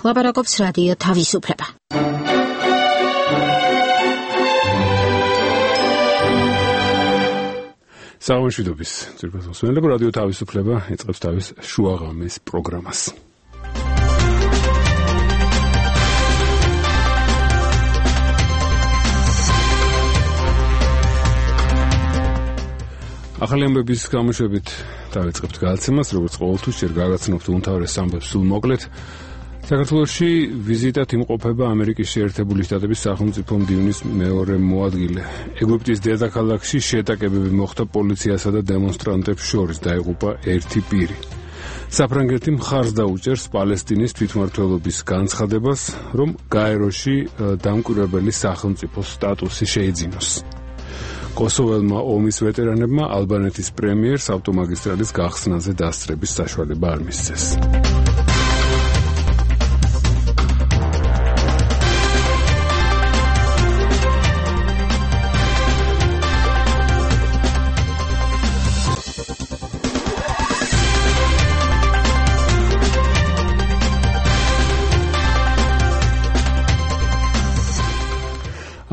ლაპარაკობს რადიო თავისუფლება. საუბრობთ ძირფას მოსმენელებო რადიო თავისუფლება ეწყებს თავის შუაღამის პროგრამას. ახალი ამბების გამოშვებით დავიწყებთ გადაცემას, როგორც ყოველთვის ჯერ გაგაცნობთ უმთავრეს ამბებს სულ მოკლედ. საქართველოში ვიზიტად იმყოფება ამერიკის შეერთებული შტატების სახელმწიფო მდივნის მეორე მოადგილე. ეგვიპტის დედაქალაქში შეტაკებები მოხდა პოლიციასა და დემონსტრანტებს შორის, დაიღუპა ერთი პირი. საფრანგეთი მხარს დაუჭერს პალესტინის თვითმმართველობის განცხადებას, რომ გაეროში დამკვირვებელი სახელმწიფოს სტატუსი შეიძინოს. კოსოველმა ომის ვეტერანებმა ალბანეთის პრემიერს ავტომაგისტრალის გახსნაზე დასწრების საშუალება არ მისცეს.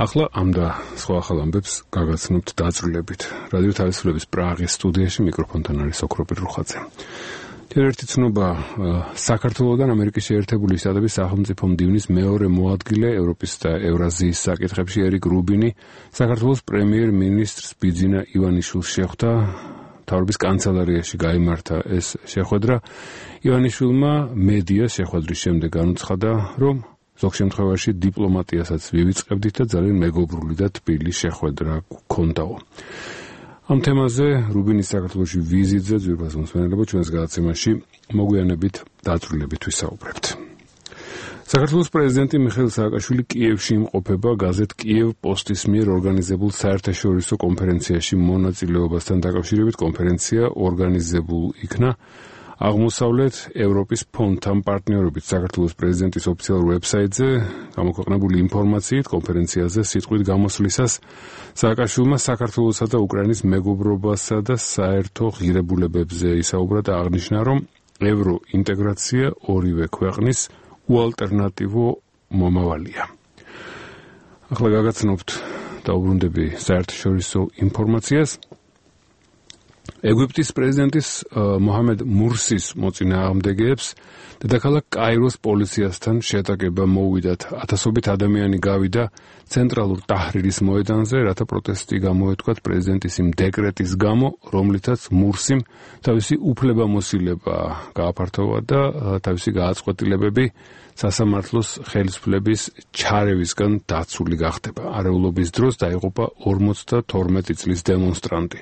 ახლა ამ და სხვა ახალ ამბებს გაგაცნობთ დაწვრილებით. რადიო თავისუფლების პრაღის სტუდიაში მიკროფონთან არის ოქროპირ რუხაძე. ერთ ცნობა საქართველოდან ამერიკის შეერთებული შტატების სახელმწიფო მდივნის მეორე მოადგილე ევროპის და ევრაზიის საკითხებში ერიკ რუბინი საქართველოს პრემიერ-მინისტრს ბიძინა ივანიშვილს შეხვდა. მთავრობის კანცელარიაში გაიმართა ეს შეხვედრა. ივანიშვილმა მედიას შეხვედრის შემდეგ განუცხადა, რომ ზოგ შემთხვევაში დიპლომატიასაც ვივიწყებდით და ძალიან მეგობრული და თბილი შეხვედრა გქონდაო. ამ თემაზე რუბინის საქართველოში ვიზიტზე ძვირფას მოსმენელებო ჩვენს გადაცემაში მოგვიანებით დაწვრილებით ვისაუბრებთ. საქართველოს პრეზიდენტი მიხეილ სააკაშვილი კიევში იმყოფება გაზეთ კიევ პოსტის მიერ ორგანიზებულ საერთაშორისო კონფერენციაში მონაწილეობასთან დაკავშირებით. კონფერენცია ორგანიზებულ იქნა აღმოსავლეთ ევროპის ფონდთან პარტნიორობით. საქართველოს პრეზიდენტის ოფიციალურ ვებსაიტზე გამოქვეყნებული ინფორმაციით კონფერენციაზე სიტყვით გამოსვლისას სააკაშვილმა საქართველოსა და უკრაინის მეგობრობასა და საერთო ღირებულებებზე ისაუბრა და აღნიშნა, რომ ევროინტეგრაცია ორივე ქვეყნის უალტერნატივო მომავალია. ახლა გაგაცნობთ დაუბრუნდები საერთაშორისო ინფორმაციას. ეგვიპტის პრეზიდენტის მოჰამედ მურსის მოწინააღმდეგეებს დედაქალაქ კაიროს პოლიციასთან შეტაკება მოუვიდათ. ათასობით ადამიანი გავიდა ცენტრალურ ტაჰრირის მოედანზე, რათა პროტესტი გამოეთქვათ პრეზიდენტის იმ დეკრეტის გამო, რომლითაც მურსიმ თავისი უფლებამოსილება გააფართოვა და თავისი გააწყვეტილებები სასამართლოს ხელისუფლების ჩარევისგან დაცული გახდება. არეულობის დროს დაიღუპა 52 წლის დემონსტრანტი.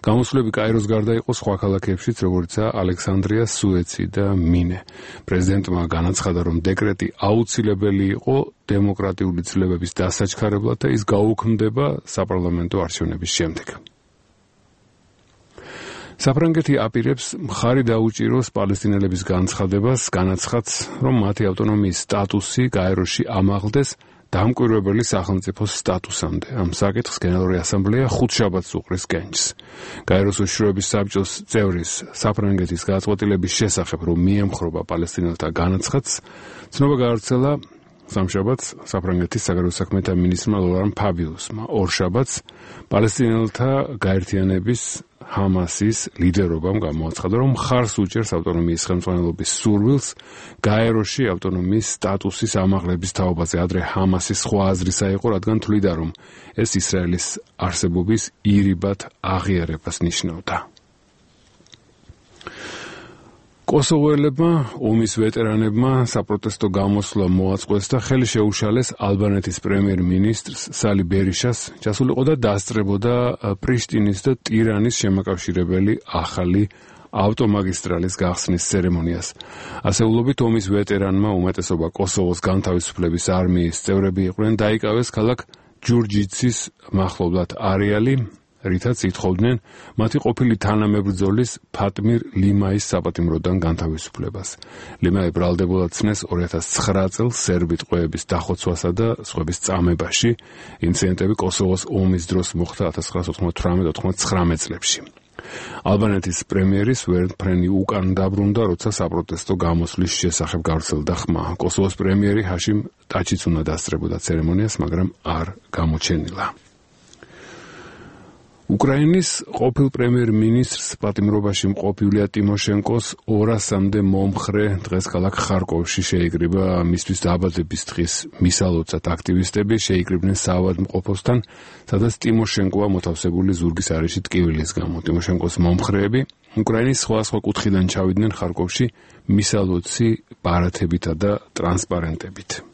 გამოსვლები კაიროს გარდა იყო სხვა ქალაქებშიც, როგორიცაა ალექსანდრია, სუეცი და მინე. პრეზიდენტმა განაცხადა, რომ დეკრეტი აუცილებელი იყო დემოკრატიული ცვლილებების დასაჩქარებლად და ის გაუქმდება საპარლამენტო არჩევნების შემდეგ. საფრანგეთი აპირებს მხარი დაუჭიროს პალესტინელების განცხადებას, განაცხადს, რომ მათი ავტონომიის სტატუსი გაეროში ამაღლდეს დამკვირვებელი სახელმწიფოს სტატუსამდე. ამ საკითხს გენერალური ასამბლეა ხუთშაბათს უყრის კენჭს. გაეროს უშიშროების საბჭოს წევრის საფრანგეთის გადაწყვეტილების შესახებ, რომ მიემხრობა პალესტინელთა განაცხადს, ცნობა გაავრცელა სამშაბათს საფრანგეთის საგარეო საქმეთა მინისტრმა ლორან ფაბიუსმა. ორშაბათს პალესტინელთა გაერთიანების ჰამასის ლიდერობამ გამოაცხადა, რომ მხარს უჭერს ავტონომიის ხელმძღვანელობის სურვილს გაეროში ავტონომიის სტატუსის ამაღლების თაობაზე. ადრე ჰამასის სხვა აზრისა იყო, რადგან თვლიდა, რომ ეს ისრაელის არსებობის ირიბად აღიარებას ნიშნავდა. კოსოვოელებმა ომის ვეტერანებმა საპროტესტო გამოსვლა მოაწყვეს და ხელი შეუშალეს ალბანეთის პრემიერ-მინისტრს სალი ბერიშას, ჩასულიყო და დასწრებოდა პრიშტინის და ტირანის შემაკავშირებელი ახალი ავტომაგისტრალის გახსნის ცერემონიას. ასეულობით ომის ვეტერანმა, უმეტესობა კოსოვოს განთავისუფლების არმიის წევრები იყვნენ, დაიკავეს ქალაქ ჯურჯიცის მახლობლად არეალი, რითაც ითხოვდნენ მათი ყოფილი თანამებრძოლის ფატმირ ლიმაის საპატიმროდან განთავისუფლებას. ლიმაი ბრალდებულად ცნეს 2009 წელს სერბი ტყვეების დახოცვასა და სხვების წამებაში. ინციდენტები კოსოვოს ომის დროს მოხდა 1998-99 წლებში. ალბანეთის პრემიერის ვერნფრენი უკან დაბრუნდა, როცა საპროტესტო გამოსვლის შესახებ გავრცელდა ხმა. კოსოვოს პრემიერი ჰაშიმ ტაჩიც უნდა დასწრებოდა ცერემონიას, მაგრამ არ გამოჩენილა. უკრაინის ყოფილ პრემიერ-მინისტრს პატიმრობაში მყოფი ილია ტიმოშენკოს 200-მდე მომხრე დღეს ქალაქ ხარკოვში შეიკრიბა. მისთვის დაბადების დღის მისალოცად აქტივისტები შეიკრიბნენ საავადმყოფოსთან, სადაც ტიმოშენკოა მოთავსებული ზურგის არეში ტკივილის გამო. ტიმოშენკოს მომხრეები უკრაინის სხვადასხვა კუთხიდან ჩავიდნენ ხარკოვში მისალოცი პარათებითა და ტრანსპარენტებით.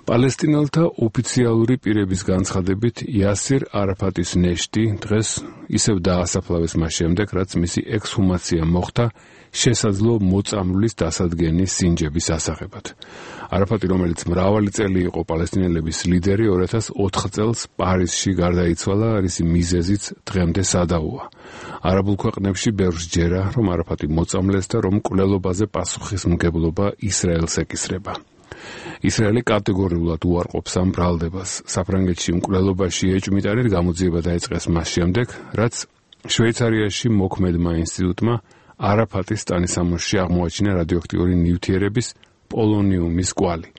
პალესტინელთა ოფიციალური პირების განცხადებით იასერ არაფატის ნეშტი დღეს ისევ დაასაფლავეს მას შემდეგ, რაც მისი ექსჰუმაცია მოხდა შესაძლო მოწამვლის დასადგენის სინჯების ასაღებად. არაფატი, რომელიც მრავალი წელი იყო პალესტინელების ლიდერი, 2004 წელს პარიზში გარდაიცვალა, რისი მიზეზიც დღემდე სადავოა. არაბულ ქვეყნებში ბევრს ჯერა, რომ არაფატი მოწამლეს და რომ მკვლელობაზე პასუხისმგებლობა ისრაელს ეკისრება. ისრაელი კატეგორიულად უარყოფს ამ ბრალდებას. საფრანგეთში მკვლელობაში ეჭვმიტანით გამოძიება დაიწყეს მას შემდეგ, რაც შვეიცარიაში მოქმედმა ინსტიტუტმა არაფატის ტანისამოსში აღმოაჩინა რადიოაქტიური ნივთიერების პოლონიუმის კვალი.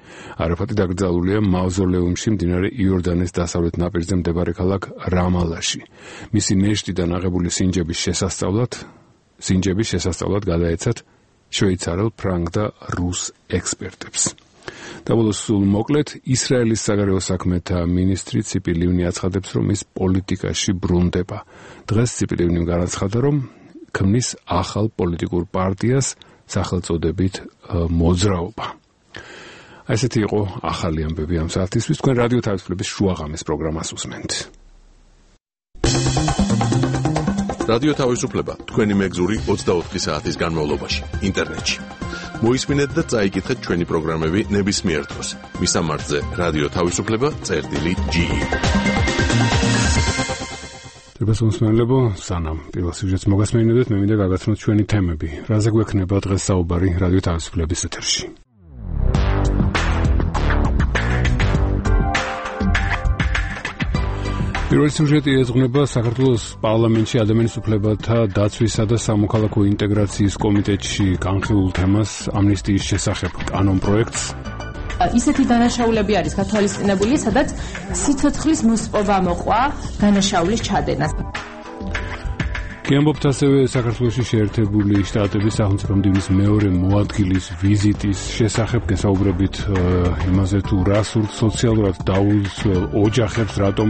არაფატი დაკრძალულია მავზოლეუმში მდინარე იორდანეს დასავლეთ ნაპირზე მდებარე ქალაქ რამალაში. მისი ნეშტიდან აღებული სინჯების შესასწავლად გადაეცათ შვეიცარელ, ფრანგ და რუს ექსპერტებს. დაბოლოს სულ მოკლედ, ისრაელის საგარეო საქმეთა მინისტრი ციპი ლივნი აცხადებს, რომ ის პოლიტიკაში ბრუნდება. დღეს ციპი ლივნიმ განაცხადა, რომ ქმნის ახალ პოლიტიკურ პარტიას სახელწოდებით მოძრაობა. ესეთი იყო ახალი ამბები ამ საათისთვის. თქვენ რადიო თავისუფლების შუაღამის პროგრამას უსმენთ. რადიო თავისუფლება თქვენი მეგზური 24 საათის განმავლობაში ინტერნეტში. მოისმინეთ და წაიკითხეთ ჩვენი პროგრამები ნებისმიერ დროს. მისამართზე რადიო თავისუფლება.ge. დებასუნსმენლებო, სანამ პირველ სიუჟეტს მოგასმენინებთ, მე მინდა გაგაცნოთ ჩვენი თემები. რაზე გვექნება დღეს საუბარი რადიო თავისუფლების ეთერში? პირველი სიუჟეტი ეძღვნება საქართველოს პარლამენტში ადამიანის უფლებათა დაცვისა და სამოქალაქო ინტეგრაციის კომიტეტში განხილულ თემას ამნისტიის შესახებ კანონპროექტს. ისეთი დანაშაულები არის გათვალისწინებული, სადაც სიცოცხლის მოსპობა მოყვა დანაშაულის ჩადენას. გემობთ ასევე საქართველოში შეერთებული შტატების სახელმწიფო მდივნის მეორე მოადგილის ვიზიტის შესახებ, გესაუბრებით იმაზე თუ რა სურთ სოციალურად დაუცველ ოჯახებს, რატომ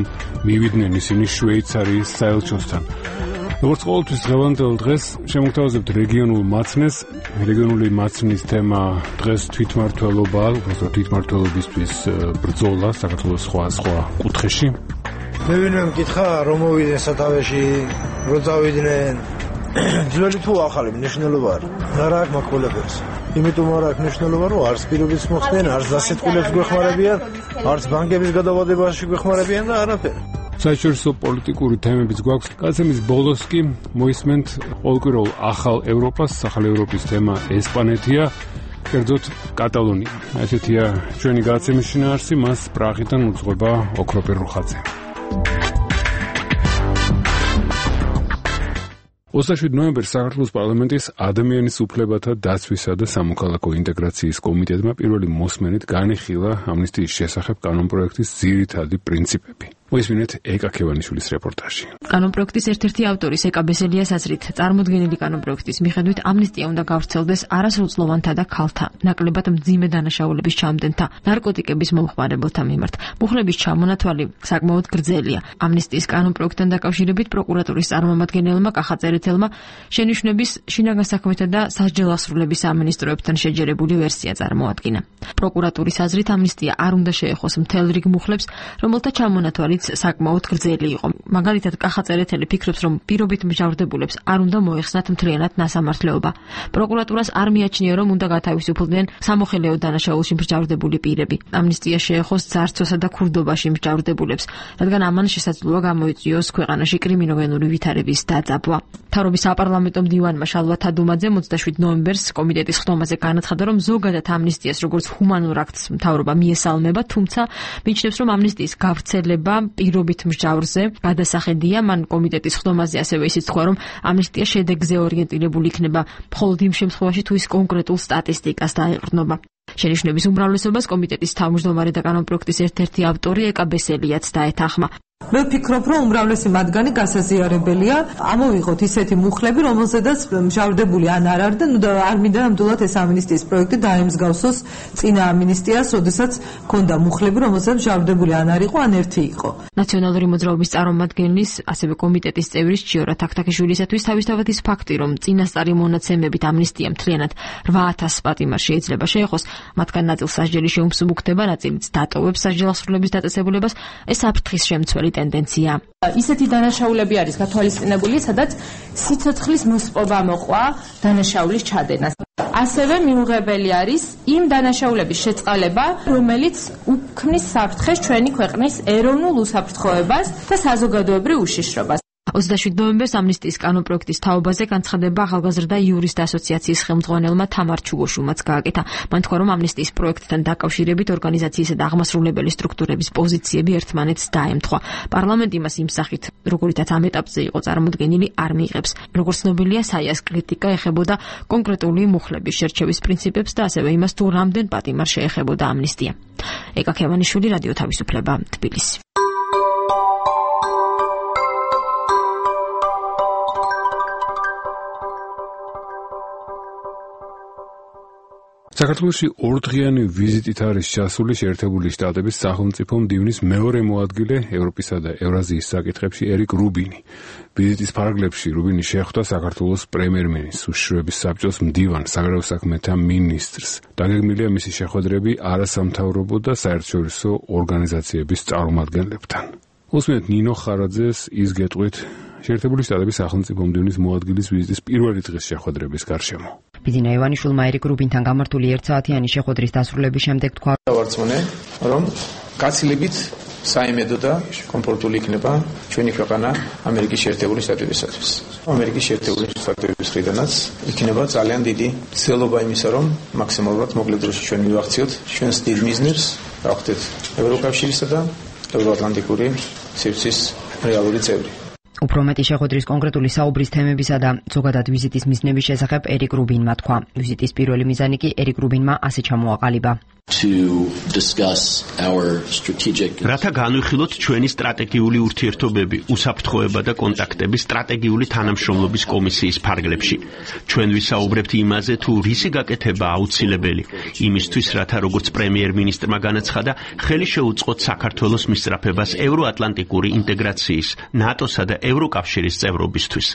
მივიდნენ ისინი შვეიცარიის საელჩოსთან. როგორც ყოველთვის დღევანდელ დღეს შემოგთავაზებთ რეგიონულ მაცნეს. რეგიონული მაცნის თემა დღეს თვითმმართველობაა, უბრალოდ თვითმმართველობისთვის ბრძოლა საქართველოს სხვა კუთხეში. მე ვინმე მკითხა, რომ მოვიდნენ სათავეში, რომ წავიდნენ. ძველი თუ ახალი მნიშვნელობა არის. რა აქვს მოკოლებებს. იმიტომ არ აქვს მნიშვნელობა, რომ არც პირობებს მოხდნენ, არც დასეტყვილებს გვეხმარებიან, არც ბანკების გადავადებაში გვეხმარებიან და არაფერი. საერთაშორისო პოლიტიკური თემებიც გვაქვს. გადაცემის ბოლოს კი მოისმენთ ყოველკვირეულ ახალ ევროპას, ახალ ევროპის თემა ესპანეთია, კერძოდ კატალონია. ესეთია ჩვენი გადაცემის შინაარსი, მას პრაღიდან უძღვება ოქროპირ რუხაძე. 27 ნოემბერს საქართველოს პარლამენტის ადამიანის უფლებათა დაცვისა და სამოქალაქო ინტეგრაციის კომიტეტმა პირველი მოსმენით განიხილა ამნისტიის შესახებ კანონპროექტის ძირითადი პრინციპები. მოისმინეთ ეკა ქევანიშვილის რეპორტაჟი. კანონპროექტის ერთ-ერთი ავტორის ეკა ბესელიას აზრით, წარმოდგენილი კანონპროექტის მიხედვით ამნისტია უნდა გავრცელდეს არასრულწლოვანთა და ქალთა, ნაკლებად მძიმე დანაშაულების ჩამდენთა, ნარკოტიკების მომხმარებელთა მიმართ. მუხლების ჩამონათვალი საკმაოდ გრძელია. ამნისტიის კანონპროექტთან დაკავშირებით პროკურატურის წარმომადგენელმა კახაწერეთელმა შენიშვნების შინაგან საქმეთა და სასჯელასრულების სამინისტროებთან შეჯერებული ვერსია წარმოადგინა. პროკურატურის აზრით ამნისტია არ უნდა შეეხოს მთელ რიგ მუხლებს, რომელთა ჩამონათვალი საკმაოდ გრძელი იყო. მაგალითად, კახაწერეთელი ფიქრობს, რომ პირობით მსჯავრდებულებს არ უნდა მოეხსნათ მთლიანად ნასამართლეობა. პროკურატურას არ მიაჩნია, რომ უნდა გათავისუფლდნენ სამოხელეო დანაშაულში მსჯავრდებული პირები. ამნისტია შეეხოს ძარცვასა და ქურდობაში მსჯავრდებულებს, რადგან ამან შესაძლოა გამოიწვიოს ქვეყანაში კრიმინოგენური ვითარების დაძაბვა. მთავრობის საპარლამენტო მდივანმა შალვა თადუმაძე 27 ნოემბერს კომიტეტის ხდომაზე განაცხადა, რომ ზოგადად ამნისტიას როგორც ჰუმანურ აქტს მთავრობა მიესალმება, თუმცა მიიჩნევს, რომ ამნისტიის გავრცელება პირობით მსჯავრზე გადასახედია, მან კომიტეტის ხდომაზე ასევე ისიც თქვა, რომ ამნისტია შედეგზე ორიენტირებული იქნება, მხოლოდ იმ შემთხვევაში, თუ ის კონკრეტულ სტატისტიკას დაეყრდნობა. შენიშვნების უმრავლესობას კომიტეტის თავმჯდომარე და კანონპროექტის ერთ-ერთი ავტორი ეკა ბესელიაც დაეთანხმა. მე ვფიქრობ, რომ უმრავლესი მათგანი გასაზიარებელია. ამოვიღოთ ისეთი მუხლები, რომელზედაც მჟავდებული ან არ არდა, და არ მინდა ნამდვილად ეს ამინისტიის პროექტი დაემსგავსოს წინა ამინისტიას, როდესაც ჰქონდა მუხლები, რომელზედაც მჟავდებული ან არ იყო, ან ერთი იყო. ნაციონალური მოძრაობის წარმომადგენლის, ასევე კომიტეტის წევრის ჭიორა თაქთაქიშვილისათვის თავისთავად ის ფაქტი, რომ წინასწარი მონაცემებით ამნისტია მთლიანად 8000 პატიმარს შეიძლება შეეხოს, მათგან ნაწილს სასჯელი შეუმსუბუქდება, ნაწილიც დატოვებს სასჯელასრულების დაწესებულებას, ეს საფრთხის შემცველი ტენდენცია. ისეთი დანაშაულები არის გათვალისწინებული, სადაც სიცოცხლის მოსპობა მოყვა დანაშაულის ჩადენას. ასევე მიუღებელი არის იმ დანაშაულების შეწყალება, რომელიც უქმნის საფრთხეს ჩვენი ქვეყნის ეროვნულ უსაფრთხოებას და საზოგადოებრივ უშიშრობას. 27 ნოემბერს ამნისტიის კანონპროექტის თაობაზე განცხადება ახალგაზრდა იურისტ ასოციაციის ხელმძღვანელმა თამარ ჩუგოშუმაც გააკეთა. მან თქვა, რომ ამნისტიის პროექტთან დაკავშირებით ორგანიზაციისა და აღმასრულებელი სტრუქტურების პოზიციები ერთმანეთს დაემთხვა. პარლამენტი მას იმ სახით, როგორითაც ამ ეტაპზე იყო წარმოდგენილი, არ მიიღებს. როგორც ცნობილია, საიას კრიტიკა ეხებოდა კონკრეტული მუხლების შერჩევის პრინციპებს და ასევე იმას, თუ რამდენ პატიმარს შეეხებოდა ამნისტია. ეკა ქევანიშვილი, რადიო თავისუფლება, თბილისი. საქართველოში ორდღიანი ვიზიტით არის ჩასული შეერთებული შტატების სახელმწიფო მდივნის მეორე მოადგილე ევროპისა და ევრაზიის საკითხებში ერიკ რუბინი. ვიზიტის ფარგლებში რუბინი შეხვდა საქართველოს პრემიერ-მინისტრს, უშიშროების საბჭოს მდივანს, საგარეო საქმეთა მინისტრს. დაგეგმილია მისი შეხვედრები არასამთავრობო და საერთაშორისო ორგანიზაციების წარმომადგენლებთან. უსმენთ ნინო ხარაძეს ის გეტყვით შეერთებული შტატების სახელმწიფო მდივნის მოადგილის ვიზიტის პირველი დღის შეხვედრების გარშემო. ბიძინა ივანიშვილმა ერიკ რუბინთან გამართული 1 საათიანი შეხვედრის დასრულების შემდეგ თქვა, რომ გაცილებით საიმედო და კომფორტული იქნება ჩვენი ქვეყანა ამერიკის შეერთებული შტატებისათვის. ამერიკის შეერთებული შტატების მხრიდანაც იქნება ძალიან დიდი ცდილობა იმისა, რომ მაქსიმალურად მოკლე დროში ჩვენ მივახციოთ ჩვენს დიდ მიზნებს, გავხდეთ ევროკავშირისა და ევროატლანტიკური სივრცის რეალური წევრი. უფრო მეტი შეხვედრის კონკრეტული საუბრის თემებისა და ზოგადად ვიზიტის მიზნების შესახებ ერიკ რუბინმა თქვა. ვიზიტის პირველი მიზანი კი ერიკ რუბინმა ასე ჩამოაყალიბა. რათა განვიხილოთ ჩვენი სტრატეგიული ურთიერთობები, უსაფრთხოება და კონტაქტები სტრატეგიული თანამშრომლობის კომისიის ფარგლებში. ჩვენ ვისაუბრებთ იმაზე, თუ რისი გაკეთება აუცილებელი, იმისთვის, რათა როგორც პრემიერ-მინისტრმა განაცხადა, ხელი შეუწყოთ საქართველოს მისწრაფებას ევროატლანტიკური ინტეგრაციის, ნატოსა და ევროკავშირის წევრობისთვის.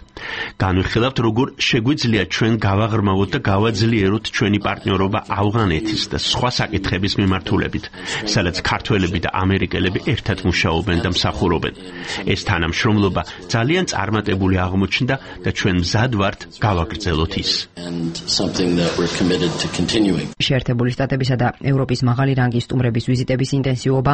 განვიხილავთ, როგორ შეგვიძლია ჩვენ გავაღრმავოთ და გავაძლიეროთ ჩვენი პარტნიორობა ავღანეთის და სხვა საკითხების მიმართულებით, სადაც ქართველები და ამერიკელები ერთად მუშაობენ და მსახურობენ. ეს თანამშრომლობა ძალიან წარმატებული აღმოჩნდა და ჩვენ მზად ვართ გავაგრძელოთ ის. შეერთებული შტატებისა და ევროპის მაღალი რანგის სტუმრების ვიზიტების ინტენსივობა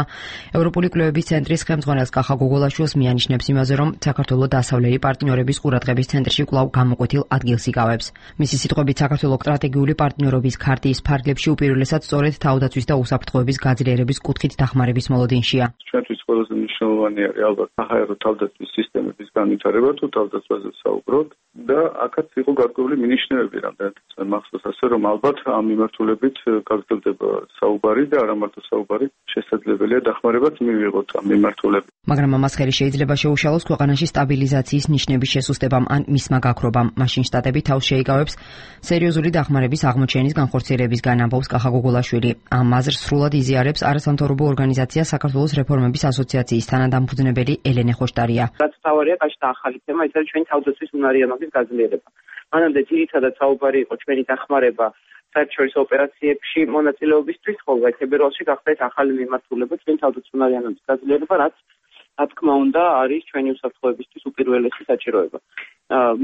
ევროპული კვლევების ცენტრის ხელმძღვანელს კახა გოგოლაშვილს მიანიშნებს იმაზე, რომ საქართველო დასავლელი პარტნიორების ყურადღების ცენტრში კვლავ გამოკვეთილ ადგილს იკავებს. მისი სიტყვებით, საქართველო სტრატეგიული პარტნიორობის ქარტიის ფარგლებში უპირველესად სწორედ თავდაცვის და უსაფრთხოების გაძლიერების კუთხით დახმარების მოლოდინშია. ჩვენთვის ყველაზე მნიშვნელოვანი არის ალბათ საჰაერო თავდაცვის სისტემების განვითარება, თუ თავდაცვაზე საუბრობთ და აქაც იყო გარკვეული მინიშნებები, რამდენადაც მახსოვს ასე, რომ ალბათ ამ მიმართულებით გაგრძელდება საუბარი და არა მარტო საუბარი, შესაძლებელია დახმარებაც მივიღოთ ამ მიმართულებით. მაგრამ ამას ხელი შეიძლება შეუშალოს ქვეყანაში სტაბილიზაციის ნიშნების შესუსტებამ ან მისმა გაქრობამ. მაშინ შტატები თავს შეიკავებს სერიოზული დახმარების აღმოჩენის განხორციელებისგან, ამბობს კახა გოგოლაშვილი. ამ აზრს სრულად იზიარებს არასამთავრობო ორგანიზაცია საქართველოს რეფორმების ასოციაციის თანადამფუძნებელი ელენე ხოშტარია. რაც თავარია კაშთა ახალი თემა, ის არის ჩვენი თავდაცვის უნარიანობის გაძლიერება. მანამდე ძირითადად საუბარი იყო ჩვენი დახმარება საერთაშორისო ოპერაციებში მონაწილეობისთვის, ხოლო თებერვალში გახდა ეს ახალი მიმართულება ჩვენი თავდაცვის უნარიანობის გაძლიერება, რაც რა თქმა უნდა არის ჩვენი უსაფრთხოებისთვის უპირველესი საჭიროება.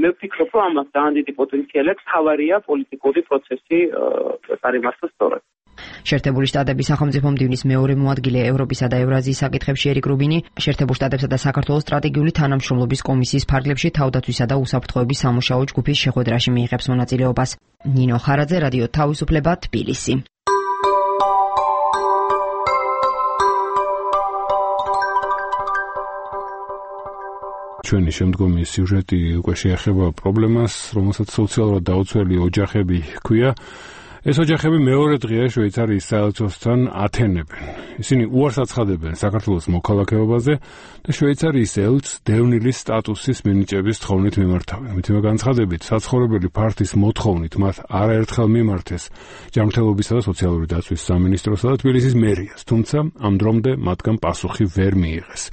მე ვფიქრობ, რომ ამას ძალიან დიდი პოტენციალი აქვს, თავარია პოლიტიკური პროცესი წარიმართოს სწორად. შეერთებული შტატების სახელმწიფო მდივნის მეორე მოადგილე ევროპისა და ევრაზიის საკითხებში ერიკ რუბინი შეერთებულ შტატებსა და საქართველოს სტრატეგიული თანამშრომლობის კომისიის ფარგლებში თავდაცვისა და უსაფრთხოების სამუშაო ჯგუფის შეხვედრაში მიიღებს მონაწილეობას. ნინო ხარაძე, რადიო თავისუფლება, თბილისი. ჩვენი შემდგომი სიუჟეტი უკვე შეეხება პრობლემას, რომელსაც სოციალურად დაუცველი ოჯახები ჰქვია. ეს ოჯახები მეორე დღეა შვეიცარიის საელჩოსთან ათენებენ. ისინი უარს აცხადებენ საქართველოს მოქალაქეობაზე და შვეიცარიის ელჩს დევნილის სტატუსის მინიჭების თხოვნით მიმართავენ. მითიმე განცხადებით, საცხოვრებელი ფართის მოთხოვნით მათ არაერთხელ მიმართეს ჯანმრთელობისა და სოციალური დაცვის სამინისტროსა და თბილისის მერიას, თუმცა ამ დრომდე მათგან პასუხი ვერ მიიღეს.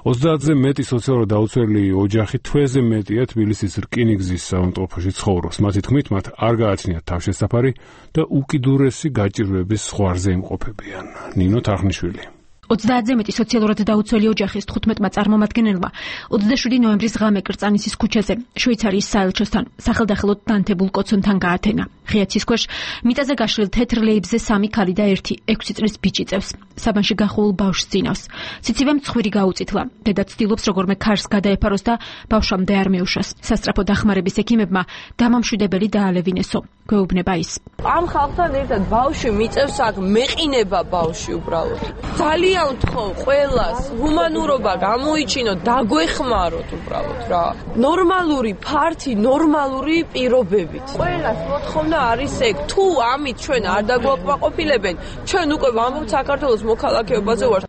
30-ზე მეტი სოციალურად დაუცველი ოჯახი თვეზე მეტია თბილისის რკინიგზის საავტომობილში ცხოვრობს. მათი თქმით, მათ არ გააჩნიათ თავშესაფარი და უკიდურესი გაჭირვების ზღვარზე იმყოფებიან. ნინო თარხნიშვილი. 30-ზე მეტი სოციალურად დაუცველი ოჯახის 15-მა წარმომადგენელმა 27 ნოემბრის ღამე კრწანისის ქუჩაზე შვეიცარიის საელჩოსთან სახელდახელოდ დანთებულ კოცონთან გაათენა. ღია ცის ქვეშ მიწაზე გაშლილ თეთრ ლეიბზე 3 ქალი და 1 6 წლის ბიჭი წევს. საბანში გახუულ ბავშვს წინავს. ციცივემ ცხვირი გაუწითლა. დედა ცდილობს როგორმე ქარს გადაეფაროს და ბავშვამდე არ მეუშას. სასწრაფო დახმარების ექიმებმა დამამშვიდებელი დაალევინესო. გვეუბნება ის. ამ ხალხთან ერთად ბავშვი მიწევს აქ მეყინება ბავშვი უბრალოდ. ძალიან ვთხოვ ყველას ჰუმანურობა გამოიჩინოთ, დაგვეხმაროთ უბრალოდ რა. ნორმალური ფართი, ნორმალური პირობებით. ყველას მოთხოვნა არის ეგ, თუ ამით ჩვენ არ დაგვაკმაყოფილებენ, ჩვენ უკვე ვამბობთ საქართველოს მოქალაქეობაზე ვართ.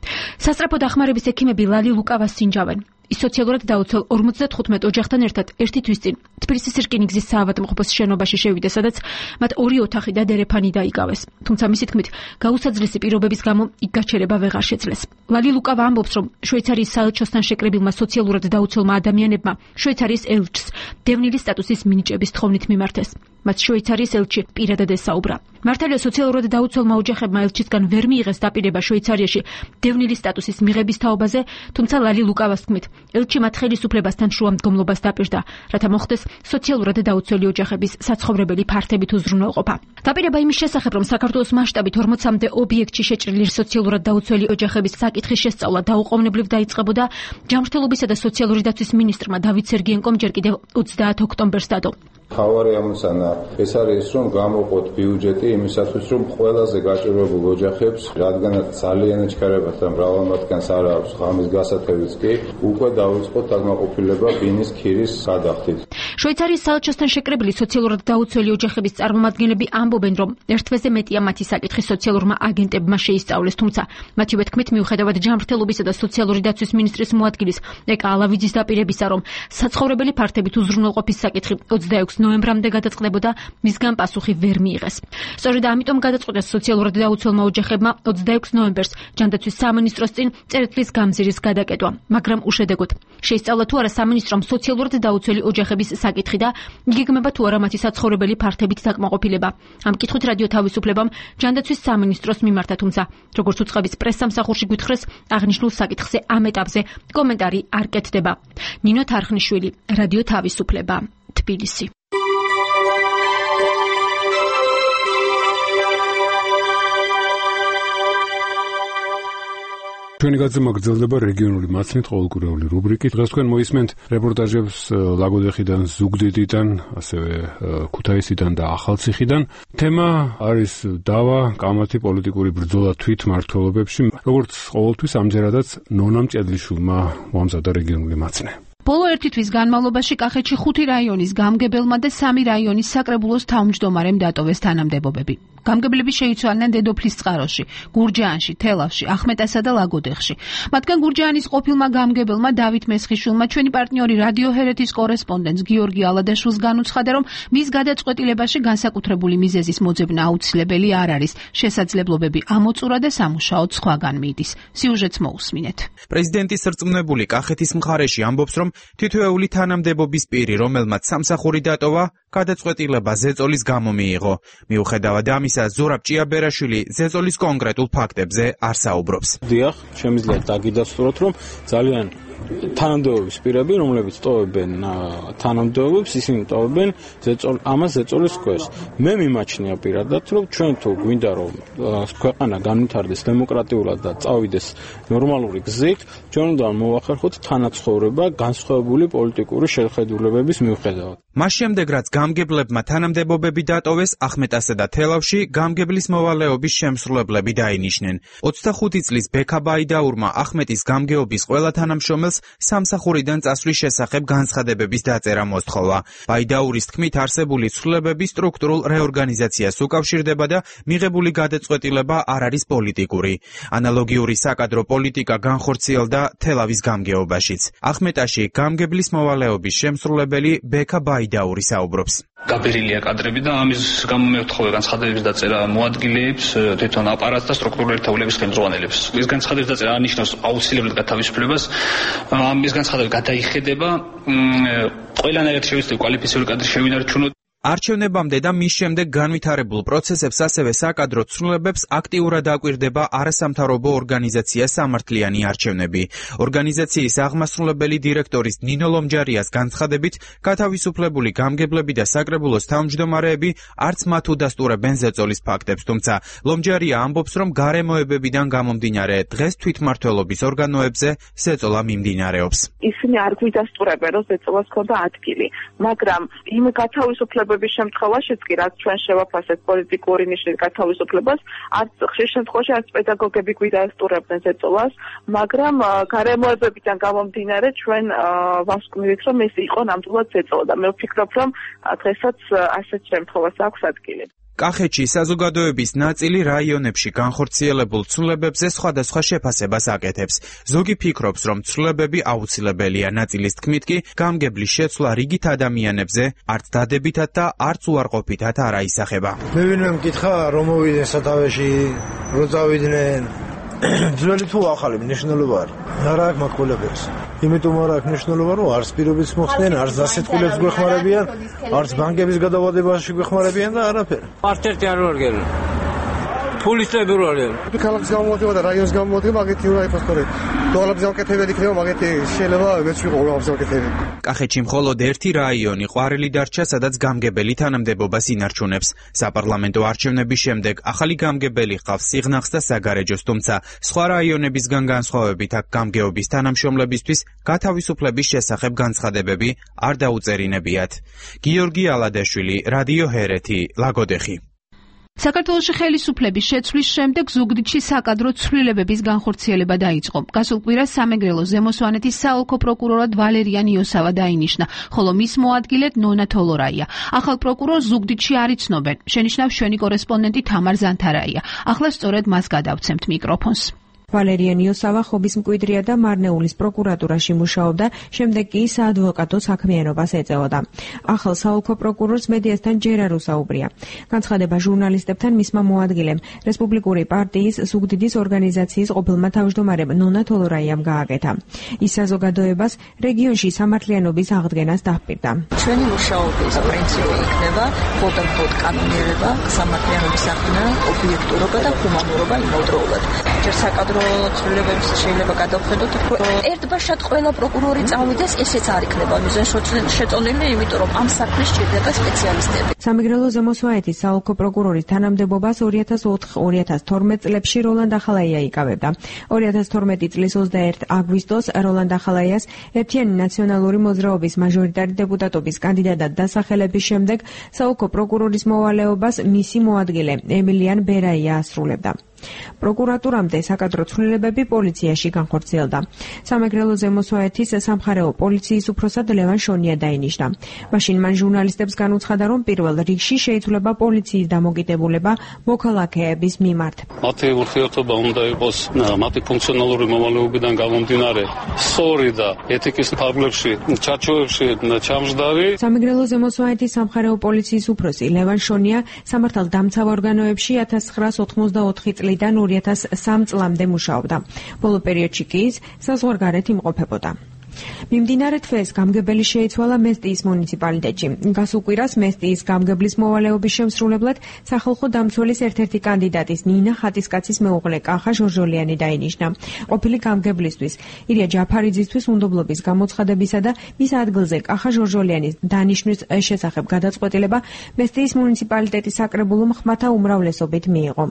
სასწრაფო დახმარების ექიმები ლალი ლუკავას სინჯავენ. ის სოციალურად დაუცველ 55 ოჯახთან ერთად ერთი თვის წინ თბილისის რკინიგზის საავადმყოფოს შენობაში შევიდა, სადაც მათ 2 ოთახი და დერეფანი დაიკავეს. თუმცა მისი თქმით, გაუსაძლესი პირობების გამო იქ გაჩერება ვეღარ შეძლეს. ლალი ლუკავა ამბობს, რომ შვეიცარიის საელჩოსთან შეკრებილმა სოციალურად დაუცველმა ადამიანებმა შვეიცარიის ელჩს დევნილის სტატუსის მინიჭების თხოვნით მიმართეს. მათ შვეიცარიის ელჩი პირადად ესაუბრა. მართალია სოციალურად დაუცველმა ოჯახებმა ელჩისგან ვერ მიიღეს დაპირება შვეიცარიაში დევნილის სტატუსის მიღების თაობაზე, თუმცა ლალი ლუკავას თქმით, ელჩი მათ ხელისუფლებასთან შუამდგომლობას დაპირდა, რათა მოხდეს სოციალურად დაუცველი ოჯახების საცხოვრებელი ფართებით უზრუნველყოფა. დაპირება იმის შესახებ, რომ საქართველოს მასშტაბით 40-მდე ობიექტში შეჭრილი სოციალურად დაუცველი ოჯახების საკითხის შესწავლა დაუყოვნებლივ დაიწყებოდა ჯანმრთელობისა და სოციალური დაცვის მინისტრმა დავით სერგიენკომ ჯერ კიდევ 30 ოქტომბერს დადო. ხავარი ამოცანა ეს არის, რომ გამოყოთ ბიუჯეტი იმისათვის, რომ ყველაზე გაჭირვებულ ოჯახებს, რადგანაც ძალიან ეჩქარებათ და მრავალ მათგანს არ აქვს ღამის გასათევიც კი, უკვე დავიწყოთ დაკმაყოფილება ბინის ქირის გადახდით. შვეიცარიის საელჩოსთან შეკრებილი სოციალურად დაუცველი ოჯახების წარმომადგენლები ამბობენ, რომ ერთ თვეზე მეტია მათი საკითხი სოციალურმა აგენტებმა შეისწავლეს, თუმცა მათივე თქმით, მიუხედავად ჯანმრთელობისა და სოციალური დაცვის მინისტრის მოადგილის ეკა ალავიძის დაპირებისა, რომ საცხოვრებელი ფართებით უზრუნველყოფის საკითხი 26 ნოემბრამდე გადაწყდებოდა, მისგან პასუხი ვერ მიიღეს. სწორედ ამიტომ გადაწყვიტეს სოციალურად დაუცველმა ოჯახებმა 26 ნოემბერს ჯანდაცვის სამინისტროს წინ წერტილის გამზირის გადაკეტვა, მაგრამ უშედეგოდ. შეისწავლა თუ არა სამინისტრომ სოციალურად დაუცველი ოჯახების საკითხი და იგეგმება თუ არა მათი საცხოვრებელი ფართებით დაკმაყოფილება. ამ კითხვით რადიო თავისუფლებამ ჯანდაცვის სამინისტროს მიმართა, თუმცა როგორც უწყების პრესსამსახურში გვითხრეს, აღნიშნულ საკითხზე ამ ეტაპზე კომენტარი არ კეთდება. ნინო თარხნიშვილი, რადიო თავისუფლება, თბილისი. ჩვენი გაზრდა გრძელდება რეგიონული მაცნით ყოველკვირეული რუბრიკით. დღეს თქვენ მოისმენთ რეპორტაჟებს ლაგოდეხიდან, ზუგდიდიდან, ასევე ქუთაისიდან და ახალციხიდან. თემა არის დავა, კამათი, პოლიტიკური ბრძოლა თვითმმართველობებში. როგორც ყოველთვის ამჯერადაც ნონა მჭედლიშვილმა მოამზადა რეგიონული მაცნე. ბოლო ერთი თვის განმავლობაში კახეთში 5 რაიონის გამგებელმა და 3 რაიონის საკრებულოს თავმჯდომარემ დატოვეს თანამდებობები. გამგებლები შეიცვალნენ დედოფლის წყაროში, გურჯაანში, თელავში, ახმეტასა და ლაგოდეხში. მათგან გურჯაანის ყოფილმა გამგებელმა დავით მესხიშვილმა ჩვენი პარტნიორი რადიო ჰერეთის კორესპონდენტს გიორგი ალადაშვილს განუცხადა, რომ მის გადაწყვეტილებაში განსაკუთრებული მიზეზის მოძებნა აუცილებელი არ არის. შესაძლებლობები ამოწურა და სამუშაოდ სხვაგან მიდის. სიუჟეტს მოусმინეთ. პრეზიდენტის რწმუნებული კახეთის მხარეში ამბობს, რომ თითოეული თანამდებობის პირი, რომელმაც სამსახური დატოვა, გადაწყვეტილება ზეწოლის გამო მიიღო. მიუხედავად ამისა, ზურაბ ჭიაბერაშვილი ზეწოლის კონკრეტულ ფაქტებზე არ საუბრობს. დიახ, შემიძლია დაგიდასტუროთ, რომ ძალიან თანამდებობის პირები, რომლებიც ტოვებენ თანამდებობებს, ისინი ტოვებენ ამას ზეწოლის ქვეშ. მე მიმაჩნია პირადად, რომ ჩვენ თუ გვინდა რომ ქვეყანა განვითარდეს დემოკრატიულად და წავიდეს ნორმალური გზით, ჩვენ უნდა მოვახერხოთ თანაცხოვრება განსხვავებული პოლიტიკური შეხედულებების მიუხედავად. მას შემდეგ, რაც გამგებლებმა თანამდებობები დატოვეს ახმეტასა და თელავში, გამგებლის მოვალეობის შემსრულებლები დაინიშნენ. 25 წლის ბექა ბაიდაურმა ახმეტის გამგეობის ყველა თანამშრომელს მწვრთნელს სამსახურიდან წასვლის შესახებ განცხადებების დაწერა მოსთხოვა. ბაიდაურის თქმით, არსებული ცვლილებები სტრუქტურულ რეორგანიზაციას უკავშირდება და მიღებული გადაწყვეტილება არ არის პოლიტიკური. ანალოგიური საკადრო პოლიტიკა განხორციელდა თელავის გამგეობაშიც. ახმეტაში გამგებლის მოვალეობის შემსრულებელი ბექა ბაიდაური საუბრობს. გაბერილია კადრები და ამის გამო მე ვთხოვე განცხადებების დაწერა მოადგილეებს, თვითონ აპარატს და სტრუქტურულ ერთეულების ხელმძღვანელებს. ეს განცხადების დაწერა ანიშნავს აუცილებლად გათავისუფლებას. ამის განცხადება გადაიხედება ყველანაირად შევეცდები კვალიფიციური კადრი შევინარჩუნოთ. არჩევნებამდე და მის შემდეგ განვითარებულ პროცესებს ასევე საკადრო ცვლილებებს აქტიურად აკვირდება არასამთავრობო ორგანიზაცია სამართლიანი არჩევნები. ორგანიზაციის აღმასრულებელი დირექტორის ნინო ლომჯარიას განცხადებით, გათავისუფლებული გამგებლები და საკრებულოს თავმჯდომარეები არც მათ უდასტურებენ ზეწოლის ფაქტებს, თუმცა ლომჯარია ამბობს, რომ გარემოებებიდან გამომდინარე დღეს თვითმმართველობის ორგანოებზე ზეწოლა მიმდინარეობს. ისინი არ გვიდასტურებენ, რომ ზეწოლას ქონდა ადგილი, მაგრამ იმ გათავისუფლებების შემთხვევაშიც კი რაც ჩვენ შევაფასეთ პოლიტიკური ნიშნის გათავისუფლებას, არც ხშირ შემთხვევაში არც პედაგოგები გვიდასტურებდნენ ზეწოლას, მაგრამ გარემოებებიდან გამომდინარე ჩვენ ვასკვნივით, რომ ეს იყო ნამდვილად ზეწოლა და მე ვფიქრობ, რომ დღესაც ასეთ შემთხვევას აქვს ადგილი. კახეთში საზოგადოების ნაწილი რაიონებში განხორციელებულ ცვლილებებზე სხვადასხვა შეფასებას აკეთებს. ზოგი ფიქრობს, რომ ცვლილებები აუცილებელია, ნაწილის თქმით კი გამგებლის შეცვლა რიგით ადამიანებზე არც დადებითად და არც უარყოფითად არ აისახება. მე ვინმე მკითხა რომ მოვიდნენ სათავეში, რომ წავიდნენ. ძველი თუ ახალი მნიშვნელობა არის. არა აქვს მაკულებებს. იმიტომ არ აქვს მნიშვნელობა, რომ არც პირობებს მოხდნენ, არც დასეტყვილებს გვეხმარებიან, არც ბანკების გადავადებაში გვეხმარებიან და არაფერი. ერთ-ერთი არ ვარგენ. ფულისტები ვარგენ. ქალაქის გამოვადება და რაიონის გამოვადება მაგეთი უნდა იყოს ხოლმე. დოლაბის გამკეთებელი იქნება, მაგეთი შეიძლება მეც ვიყო დოლაბის გამკეთებელი. კახეთში მხოლოდ ერთი რაიონი ყვარელი დარჩა, სადაც გამგებელი თანამდებობას ინარჩუნებს. საპარლამენტო არჩევნების შემდეგ ახალი გამგებელი ჰყავს სიღნაღს და საგარეჯოს, თუმცა სხვა რაიონებისგან განსხვავებით აქ გამგეობის თანამშრომლებისთვის გათავისუფლების შესახებ განცხადებები არ დაუწერინებიათ. გიორგი ალადაშვილი, რადიო ჰერეთი, ლაგოდეხი. საქართველოში ხელისუფლების შეცვლის შემდეგ ზუგდიდში საკადრო ცვლილებების განხორციელება დაიწყო. გასულ კვირას სამეგრელოს ზემო სვანეთის საოლქო პროკურორად ვალერიან იოსავა დაინიშნა, ხოლო მის მოადგილედ ნონა თოლორაია. ახალ პროკურორს ზუგდიდში არ იცნობენ. შენიშნავს ჩვენი კორესპონდენტი თამარ ზანთარაია. ახლა სწორედ მას გადავცემთ მიკროფონს. ვალერიან იოსავა ხობის მკვიდრია და მარნეულის პროკურატურაში მუშაობდა, შემდეგ კი საადვოკატო საქმიანობას ეწეოდა. ახალ საოლქო პროკურორს მედიასთან ჯერ არ უსაუბრია. განცხადება ჟურნალისტებთან მისმა მოადგილემ, რესპუბლიკური პარტიის ზუგდიდის ორგანიზაციის ყოფილმა თავმჯდომარემ ნონა თოლორაიამ გააკეთა. ის საზოგადოებას რეგიონში სამართლიანობის აღდგენას დაჰპირდა. ჩვენი მუშაობის პრინციპი იქნება მხოლოდ კანონიერება, სამართლიანობის აღდგენა, ობიექტურობა და ჰუმანურობა იმავდროულად. საკადრო ცვლილებებს შეიძლება გადავხედოთ, ერთბაშად ყველა პროკურორი წავიდეს, ესეც არ იქნება მიზანშეწონილი, იმიტომ რომ ამ საქმეს სჭირდება სპეციალისტები. სამეგრელო ზემო სვანეთის საოლქო პროკურორის თანამდებობას 2004-2012 წლებში როლანდ ახალაია იკავებდა. 2012 წლის 21 აგვისტოს როლანდ ახალაიას ერთიანი ნაციონალური მოძრაობის მაჟორიტარი დეპუტატობის კანდიდატად დასახელების შემდეგ საოლქო პროკურორის მოვალეობას მისი მოადგილე ემილიან ბერაია ასრულებდა. პროკურატურამდე საკადრო ცვლილებები პოლიციაში განხორციელდა. სამეგრელო ზემო სვანეთის სამხარეო პოლიციის უფროსად ლევან შონია დაინიშნა. მაშინ მან ჟურნალისტებს განუცხადა, რომ პირველ რიგში შეიცვლება პოლიციის დამოკიდებულება მოქალაქეების მიმართ. მათი ურთიერთობა უნდა იყოს მათი ფუნქციონალური მომავლეობიდან გამომდინარე სწორი და ეთიკის ფარგლებში, ჩარჩოებში ჩამჯდარი. სამეგრელო ზემო სვანეთის სამხარეო პოლიციის უფროსი ლევან შონია სამართალდამცავ ორგანოებში 1984 წლიდან 2003 წლამდე მუშაობდა. ბოლო პერიოდში კი ის საზღვარგარეთ იმყოფებოდა. მიმდინარე თვეს გამგებელი შეიცვალა მესტიის მუნიციპალიტეტში. გასულ კვირას მესტიის გამგებლის მოვალეობის შემსრულებლად სახალხო დამცველის ერთ-ერთი კანდიდატის ნინა ხატისკაცის მეუღლე კახა ჟორჟოლიანი დაინიშნა. ყოფილი გამგებლისთვის ირია ჯაფარიძისთვის უნდობლობის გამოცხადებისა და მის ადგილზე კახა ჟორჟოლიანის დანიშნვის შესახებ გადაწყვეტილება მესტიის მუნიციპალიტეტის საკრებულომ ხმათა უმრავლესობით მიიღო.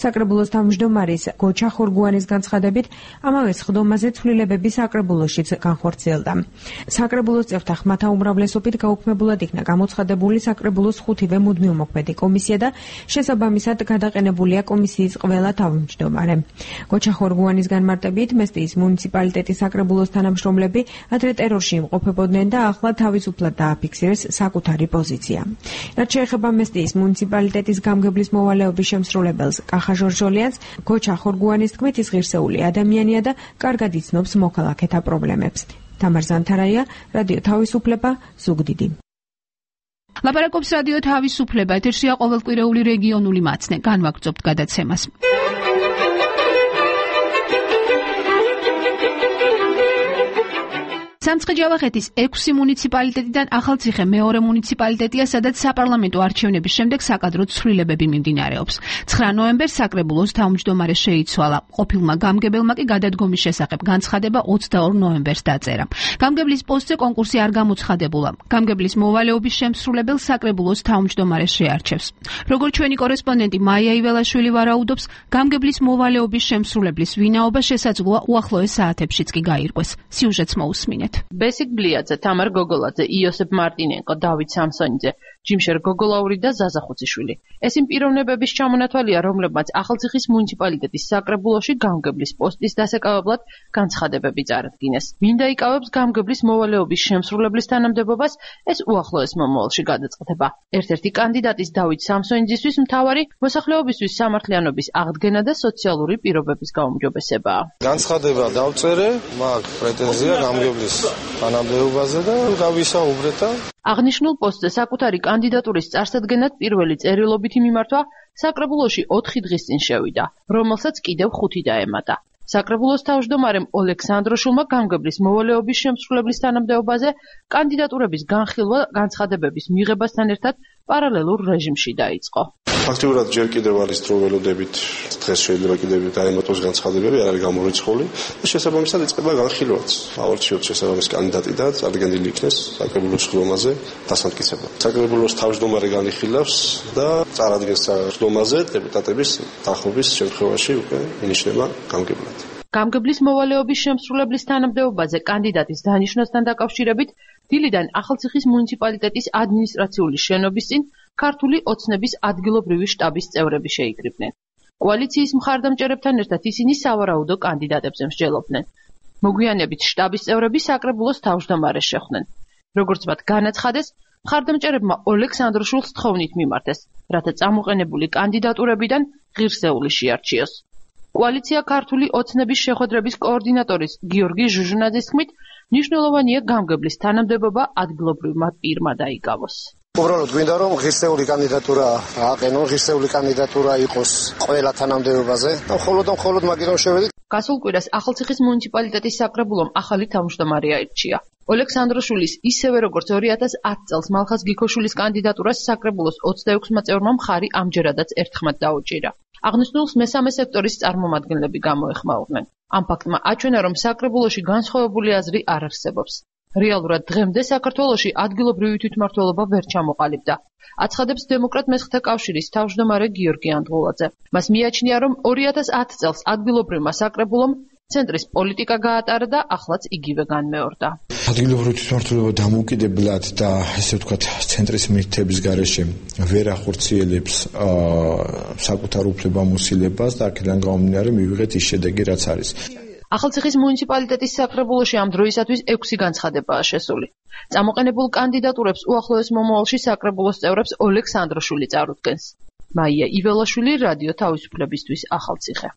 საკრებულოს თავმჯდომარის გოჩა ხორგუანის განცხადებით, ამავე სხდომაზე ცვლილებები საკრებულოშიც განხორციელდა. განახორციელდა. საკრებულოს წევრთა ხმათა უმრავლესობით გაუქმებულად იქნა გამოცხადებული საკრებულოს 5-ვე მუდმივმოქმედი კომისია და შესაბამისად გადაყენებულია კომისიის ყველა თავმჯდომარე. გოჩა ხორგუანის განმარტებით მესტიის მუნიციპალიტეტის საკრებულოს თანამშრომლები ადრე ტერორში იმყოფებოდნენ და ახლა თავისუფლად დააფიქსირეს საკუთარი პოზიცია. რაც შეეხება მესტიის მუნიციპალიტეტის გამგებლის მოვალეობის შემსრულებელს კახა ჟორჟოლიანს, გოჩა ხორგუანის თქმით ის ღირსეული ადამიანია და კარგად იცნობს მოქალაქეთა პრობლემებს. თამარ ზანთარაია, რადიო თავისუფლება, ზუგდიდი. ლაპარაკობს რადიო თავისუფლება, ეთერშია ყოველკვირეული რეგიონული მაცნე. განვაგრძობთ გადაცემას. სამცხე-ჯავახეთის 6 მუნიციპალიტეტიდან ახალციხე მეორე მუნიციპალიტეტია, სადაც საპარლამენტო არჩევნების შემდეგ საკადრო ცვლილებები მიმდინარეობს. 9 ნოემბერს საკრებულოს თავმჯდომარე შეიცვალა. ყოფილმა გამგებელმა კი გადადგომის შესახებ განცხადება 22 ნოემბერს დაწერა. გამგებლის პოსტზე კონკურსი არ გამოცხადებულა. გამგებლის მოვალეობის შემსრულებელს საკრებულოს თავმჯდომარე შეარჩევს. როგორც ჩვენი კორესპონდენტი მაია იველაშვილი ვარაუდობს, გამგებლის მოვალეობის შემსრულებლის ვინაობა შესაძლოა უახლოეს საათებშიც კი გაირკვეს. სიუჟეტს მოусმინეთ. ბესიკ ბლიაძე, თამარ გოგოლაძე, იოსებ მარტინენკო, დავით სამსონიძე, ჯიმშერ გოგოლაური და ზაზა ხუციშვილი. ეს იმ პიროვნებების ჩამონათვალია, რომლებმაც ახალციხის მუნიციპალიტეტის საკრებულოში გამგებლის პოსტის დასაკავებლად განცხადებები წარადგინეს. ვინ დაიკავებს გამგებლის მოვალეობის შემსრულებლის თანამდებობას, ეს უახლოეს მომავალში გადაწყდება. ერთ-ერთი კანდიდატის დავით სამსონიძისთვის მთავარი მოსახლეობისთვის სამართლიანობის აღდგენა და სოციალური პირობების გაუმჯობესებაა. განცხადება დავწერე, მაქვს პრეტენზია გამგებლის თანამდებობაზე და გავისაუბრეთ და აღნიშნულ პოსტზე საკუთარი კანდიდატურის წარსადგენად პირველი წერილობითი მიმართვა საკრებულოში 4 დღის წინ შევიდა, რომელსაც კიდევ 5 დაემატა. საკრებულოს თავმჯდომარემ ოლექსანდროშულმა გამგებლის მოვალეობის შემსრულებლის თანამდებობაზე კანდიდატურების განხილვა განცხადებების მიღებასთან ერთად პარალელურ რეჟიმში დაიწყო. ფაქტიურად ჯერ კიდევ არის დრო ველოდებით, დღეს შეიძლება კიდევ დაემატოს განცხადებები, არ არის გამორიცხული და შესაბამისად იწყება განხილვაც. ავარჩიოთ შესაბამის კანდიდატი და წარდგენილი იქნეს საკრებულოს ხდომაზე დასამტკიცება. საკრებულოს თავმჯდომარე განიხილავს და წარადგენს ხდომაზე დეპუტატების დახობის შემთხვევაში უკვე ინიშნება გამგებლად. გამგებლის მოვალეობის შემსრულებლის თანამდებობაზე კანდიდატის დანიშვნასთან დაკავშირებით დილიდან ახალციხის მუნიციპალიტეტის ადმინისტრაციული შენობის წინ ქართული ოცნების ადგილობრივი შტაბის წევრები შეიკრიბნენ. კოალიციის მხარდამჭერებთან ერთად ისინი სავარაუდო კანდიდატებზე მსჯელობდნენ. მოგვიანებით შტაბის წევრები საკრებულოს თავმჯდომარეს შეხვდნენ. როგორც მათ განაცხადეს, მხარდამჭერებმა ოლექსანდროშულს თხოვნით მიმართეს, რათა წამოყენებული კანდიდატურებიდან ღირსეული შეარჩიოს. კოალიცია ქართული ოცნების შეხვედრების კოორდინატორის გიორგი ჟუჟუნაძის თქმით, მნიშვნელოვანია გამგებლის თანამდებობა ადგილობრივმა პირმა დაიკავოს. უბრალოდ გვინდა რომ ღირსეული კანდიდატურა აყენონ, ღირსეული კანდიდატურა იყოს ყველა თანამდებობაზე და მხოლოდ მაგით შევედით. გასულ კვირას ახალციხის მუნიციპალიტეტის საკრებულომ ახალი თავმჯდომარე აირჩია. ოლექსანდროშულის ისევე როგორც 2010 წელს მალხაზ გიქოშვილის კანდიდატურას საკრებულოს 26 წევრმა მხარი ამჯერადაც ერთხმად დაუჭირა. აღნიშნულს მესამე სექტორის წარმომადგენლები გამოეხმაურნენ. ამ ფაქტმა აჩვენა, რომ საკრებულოში განსხვავებული აზრი არ არსებობს. რეალურად დღემდე საქართველოში ადგილობრივი თვითმმართველობა ვერ ჩამოყალიბდა. აცხადებს დემოკრატ მესხთა კავშირის თავმჯდომარე გიორგი ანდღულაძე. მას მიაჩნია, რომ 2010 წელს ადგილობრივმა საკრებულომ ცენტრის პოლიტიკა გაატარა და ახლაც იგივე განმეორდა. ადგილობრივი თვითმმართველობა დამოუკიდებლად და ესე ვთქვათ, ცენტრის მითების გარეშე ვერ ახორციელებს საკუთარ უფლებამოსილებას და აქედან გამომდინარე მივიღეთ ის შედეგი, რაც არის. ახალციხის მუნიციპალიტეტის საკრებულოში ამ დროისათვის 6 განცხადებაა შესული. წამოყენებულ კანდიდატურებს უახლოეს მომავალში საკრებულოს წევრებს ოლექსანდროშვილი წარუდგენს. მაია იველაშვილი, რადიო თავისუფლებისთვის, ახალციხე.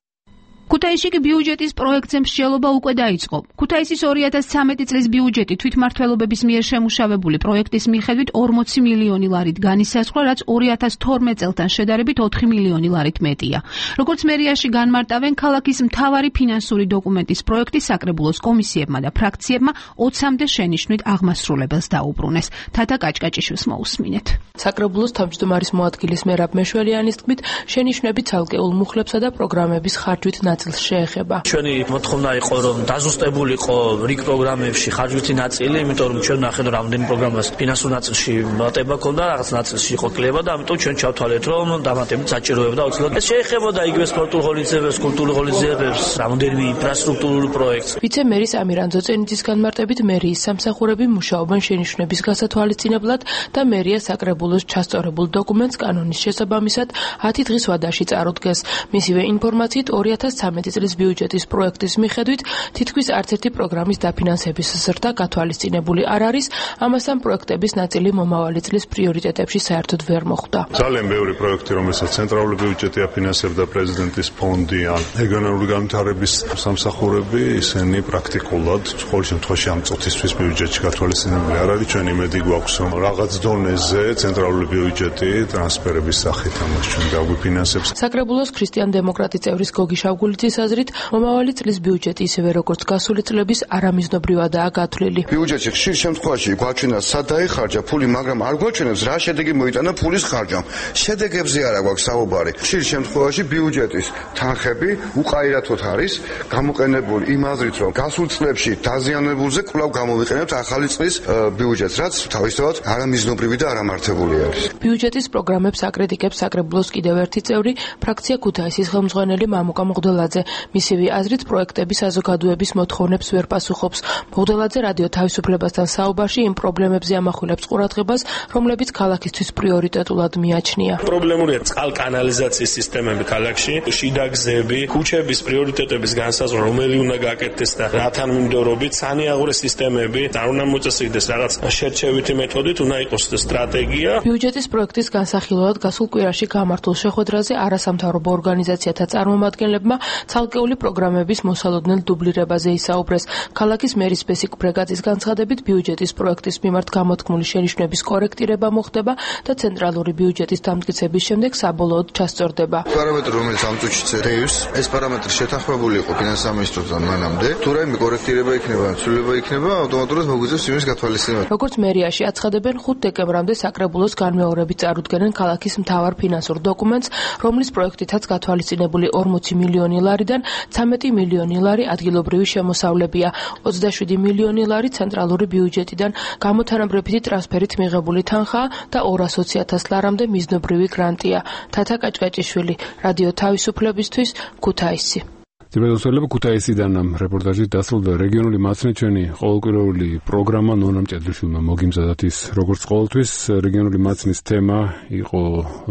ქუთაისში კი ბიუჯეტის პროექტზე მსჯელობა უკვე დაიწყო. ქუთაისის 2013 წლის ბიუჯეტი თვითმმართველობების მიერ შემუშავებული პროექტის მიხედვით 40 მილიონი ლარით განისაზღვრა, რაც 2012 წელთან შედარებით 4 მილიონი ლარით მეტია. როგორც მერიაში განმარტავენ, ქალაქის მთავარი ფინანსური დოკუმენტის პროექტი საკრებულოს კომისიებმა და ფრაქციებმა 20-მდე შენიშვნით აღმასრულებელს დაუბრუნეს. თათა კაჭკაჭიშვილს მოусმინეთ. საკრებულოს თავმჯდომარის მოადგილის მერაბ მეშველიანის თქმით, შენიშვნები ცალკეულ მუხლებსა და პროგრამების ხარჯვით ნაწილს შეეხება. ჩვენი მოთხოვნა იყო რომ დაზუსტებულიყო რიგ პროგრამებში ხარჯვითი ნაწილი, იმიტომ რომ ჩვენ ნახეთ რომ რამდენი პროგრამას ფინანსურ ნაწილში მატება ქონდა, რაღაც ნაწილში იყო კლება და ამიტომ ჩვენ ჩავთვალეთ რომ დამატებით საჭიროებდა აუცილებლად. ეს შეეხებოდა იგივე სპორტულ ღონისძიებებს, კულტურულ ღონისძიებებს, რამდენიმე ინფრასტრუქტურულ პროექტს. ვიცე-მერის ამირან ძოწენიძის განმარტებით მერიის სამსახურები მუშაობენ შენიშვნების გასათვალისწინებლად და მერია საკრებულოს ჩასწორებულ დოკუმენტს კანონის შესაბამისად 10 დღის ვადაში წარუდგეს. მისივე ინფორმაციით 2013 წლის ბიუჯეტის პროექტის მიხედვით თითქმის არც ერთი პროგრამის დაფინანსების ზრდა გათვალისწინებული არ არის, ამასთან პროექტების ნაწილი მომავალი წლის პრიორიტეტებში საერთოდ ვერ მოხვდა. ძალიან ბევრი პროექტი, რომელსაც ცენტრალური ბიუჯეტი აფინანსებდა, პრეზიდენტის ფონდი ან რეგიონალური განვითარების სამსახურები, ისინი პრაქტიკულად ყოველ შემთხვევაში ამ წუთისთვის ბიუჯეტში გათვალისწინებული არ არის. ჩვენ იმედი გვაქვს, რომ რაღაც დონეზე ცენტრალური ბიუჯეტი ტრანსფერების სახით ამას ჩვენ დაგვიფინანსებს. საკრებულოს ქრისტიან-დემოკრატი წევრის გოგი შავგულიძის აზრით, მომავალი წლის ბიუჯეტი ისევე როგორც გასული წლების არამიზნობრივადაა გათვლილი. ბიუჯეტში ხშირ შემთხვევაში გვაჩვენა სად დაიხარჯა ფული, მაგრამ არ გვაჩვენებს რა შედეგი მოიტანა ფულის ხარჯამ. შედეგებზე არა გვაქვს საუბარი. ხშირ შემთხვევაში ბიუჯეტის თანხები უყაირათოდ არის გამოყენებული იმ აზრით, რომ გასულ წლებში დაზიანებულზე კვლავ გამოვიყენებთ ახალი წლის ბიუჯეტს, რაც თავისთავად არამიზნობრივი და არამართებული არის. ბიუჯეტის პროგრამებს აკრიტიკებს საკრებულოს კიდევ ერთი წევრი, ფრაქცია ქუთაისის ხელმძღვანელი მამუკა მღვდელაძე. მისივე აზრით, პროექტების საზოგადოების მოთხოვნებს ვერ პასუხობს. მღვდელაძე რადიო თავისუფლებასთან საუბარში იმ პრობლემებზე ამახვილებს ყურადღებას, რომლებიც ქალაქისთვის პრიორიტეტულად მიაჩნია. პრობლემურია წყალკანალიზაციის სისტემები ქალაქში, შიდა გზები, ქუჩების პრიორიტეტების განსაზღვრა, რომელი უნდა გაკეთდეს და რათან მიმდევრობით, სანიაღვრე სისტემები, არ უნდა მოწესრიგდეს რაღაც შერჩევითი მეთოდით, უნდა იყოს სტრატეგია. ბიუჯეტის პროექტის განსახილველად გასულ კვირაში გამართულ შეხვედრაზე არასამთავრობო ორგანიზაციათა წარმომადგენლებმა ცალკეული პროგრამების მოსალოდნელ დუბლირებაზე ისაუბრეს. ქალაქის მერის ბესიკ ბრეგაძის განცხადებით, ბიუჯეტის პროექტის მიმართ გამოთქმული შენიშვნების კორექტირება მოხდება და ცენტრალური ბიუჯეტის დამტკიცების შემდეგ საბოლოოდ ჩასწორდება. პარამეტრი, რომელიც ამ წუთში წერს, ეს პარამეტრი შეთანხმებული იყო ფინანსთა მინისტრთან მანამდე. თუ რაიმე კორექტირება იქნება, ცვლილება იქნება, ავტომატურად მოგვიწევს იმის გათვალისწინება. როგორც მერიაში აცხადებენ, 5 დეკემბრამდე საკრებულოს განმეორებით წარუდგენენ ქალაქის მთავარ ფინანსურ დოკუმენტს, რომლის პროექტითაც გათვალისწინებული 40 მილიონი ლარიდან 13 მილიონი ლარი ადგილობრივი შემოსავლებია, 27 მილიონი ლარი ცენტრალური ბიუჯეტიდან გამოთანაბრებითი ტრანსფერით მიღებული თანხაა და 220,000 ლარამდე მიზნობრივი გრანტია. თათა კაჭკაჭიშვილი, რადიო თავისუფლებისთვის, ქუთაისი. ძირითადად ქუთაისიდან რეპორტაჟი დასრულდა. რეგიონული მაცნეჩვენი ყოველკვირეული პროგრამა ნონამ ჭედრიშვილმა მოგიმზადათ ის, როგორც ყოველთვის რეგიონული მაცნის თემა იყო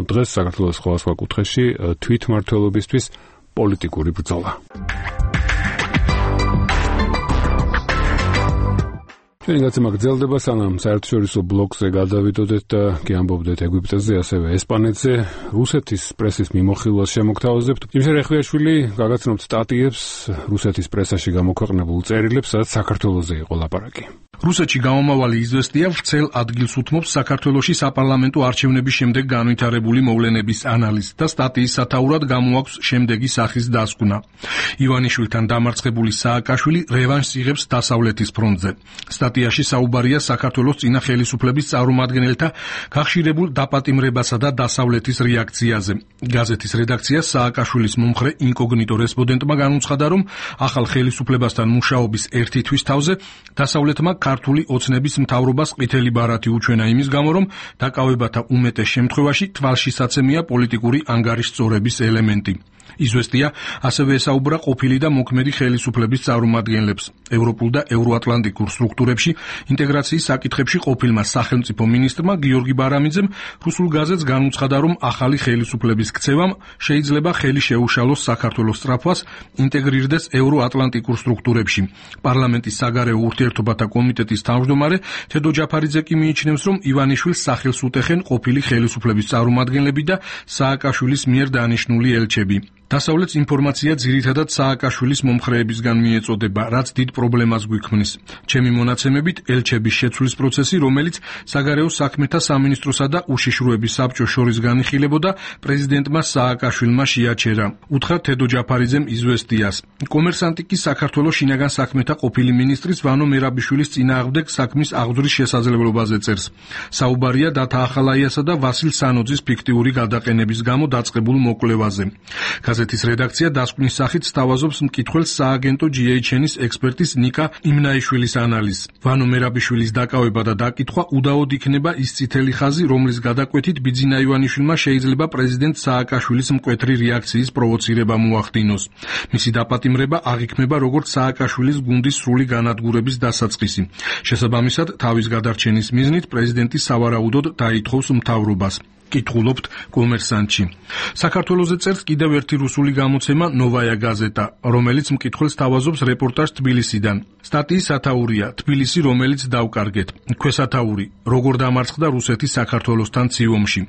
დღეს საქართველოს სხვადასხვა კუთხეში თვითმმართველობისთვის პოლიტიკური ბრძოლა. ჩვენი გაცემა გრძელდება, სანამ საერთაშორისო ბლოკზე გადავიდოდეთ და კი ამბობდეთ ეგვიპტეზე, ასევე ესპანეთზე, რუსეთის პრესის მიმოხილვას შემოგთავაზებთ. იმშერ ეხვიაშვილი გაგაცნობთ სტატიებს რუსეთის პრესაში გამოქვეყნებულ წერილებს, სადაც საქართველოზე იყო ლაპარაკი. რუსეთში გამომავალი იზვესტია ვრცელ ადგილს უთმობს საქართველოში საპარლამენტო არჩევნების შემდეგ განვითარებული მოვლენების ანალიზს და სტატიის სათაურად გამოაქვს შემდეგი სახის დასკვნა. ივანიშვილთან დამარცხებული სააკაშვილი რევანშს იღებს დასავლეთის ფრონტზე. სტატიაში საუბარია საქართველოს წინა ხელისუფლების წარმომადგენელთა გახშირებულ დაპატიმრებასა და დასავლეთის რეაქციაზე. გაზეთის რედაქცია სააკაშვილის მომხრე ინკოგნიტო რესპონდენტმა განუცხადა, რომ ახალ ხელისუფლებასთან მუშაობის ერთი თვის თავზე დასავლეთმა ქართული ოცნების მთავრობას ყვითელი ბარათი უჩვენა იმის გამო, რომ დაკავებათა უმეტეს შემთხვევაში თვალშისაცემია პოლიტიკური ანგარიშწორების ელემენტი. იზვესტია ასევე ესაუბრა ყოფილი და მოქმედი ხელისუფლების წარმომადგენლებს. ევროპულ და ევროატლანტიკურ სტრუქტურებში ინტეგრაციის საკითხებში ყოფილმა სახელმწიფო მინისტრმა გიორგი ბარამიძემ რუსულ გაზეთს განუცხადა, რომ ახალი ხელისუფლების ქცევამ შეიძლება ხელი შეუშალოს საქართველოს სწრაფვას ინტეგრირდეს ევროატლანტიკურ სტრუქტურებში. პარლამენტის საგარეო ურთიერთობათა კომიტეტის თავმჯდომარე თედო ჯაფარიძე კი მიიჩნევს, რომ ივანიშვილს სახელს უტეხენ ყოფილი ხელისუფლების წარმომადგენლები და სააკაშვილის მიერ დანიშნული ელჩები. დასავლეთს ინფორმაცია ძირითადად სააკაშვილის მომხრეებისგან მიეწოდება, რაც დიდ პრობლემას გვიქმნის. ჩემი მონაცემებით, ელჩების შეცვლის პროცესი, რომელიც საგარეო საქმეთა სამინისტროსა და უშიშროების საბჭოს შორის განიხილებოდა, პრეზიდენტმა სააკაშვილმა შეაჩერა. უთხრა თედო ჯაფარიძემ იზვესტიას. კომერსანტი კი საქართველოს შინაგან საქმეთა ყოფილი მინისტრის ვანო მერაბიშვილის წინააღმდეგ საქმის აღძვრის შესაძლებლობაზე წერს. საუბარია დათა ახალაიასა და ვასილ სანოძის ფიქტიური გადაყენების გამო დაწყებულ მოკვლევაზე. გაზეთის რედაქცია დასკვნის სახით სთავაზობს მკითხველს სააგენტო GHN-ის ექსპერტის ნიკა იმნაიშვილის ანალიზს. ვანო მერაბიშვილის დაკავება და დაკითხვა უდაოდ იქნება ის წითელი ხაზი, რომლის გადაკვეთით ბიძინა ივანიშვილმა შეიძლება პრეზიდენტ სააკაშვილის მკვეთრი რეაქციის პროვოცირება მოახდინოს. მისი დაპატიმრება აღიქმება როგორც სააკაშვილის გუნდის სრული განადგურების დასაწყისი. შესაბამისად, თავის გადარჩენის მიზნით პრეზიდენტი სავარაუდოდ დაითხოვს მთავრობას. კითხულობთ კომერსანტში. საქართველოზე წერს კიდევ ერთი რუსული გამოცემა ნოვაია გაზეტა, რომელიც მკითხველს თავაზობს რეპორტაჟ თბილისიდან. სტატიის სათაურია თბილისი, რომელიც დავკარგეთ. ქვესათაური როგორ დამარცხდა რუსეთი საქართველოსთან ციომში.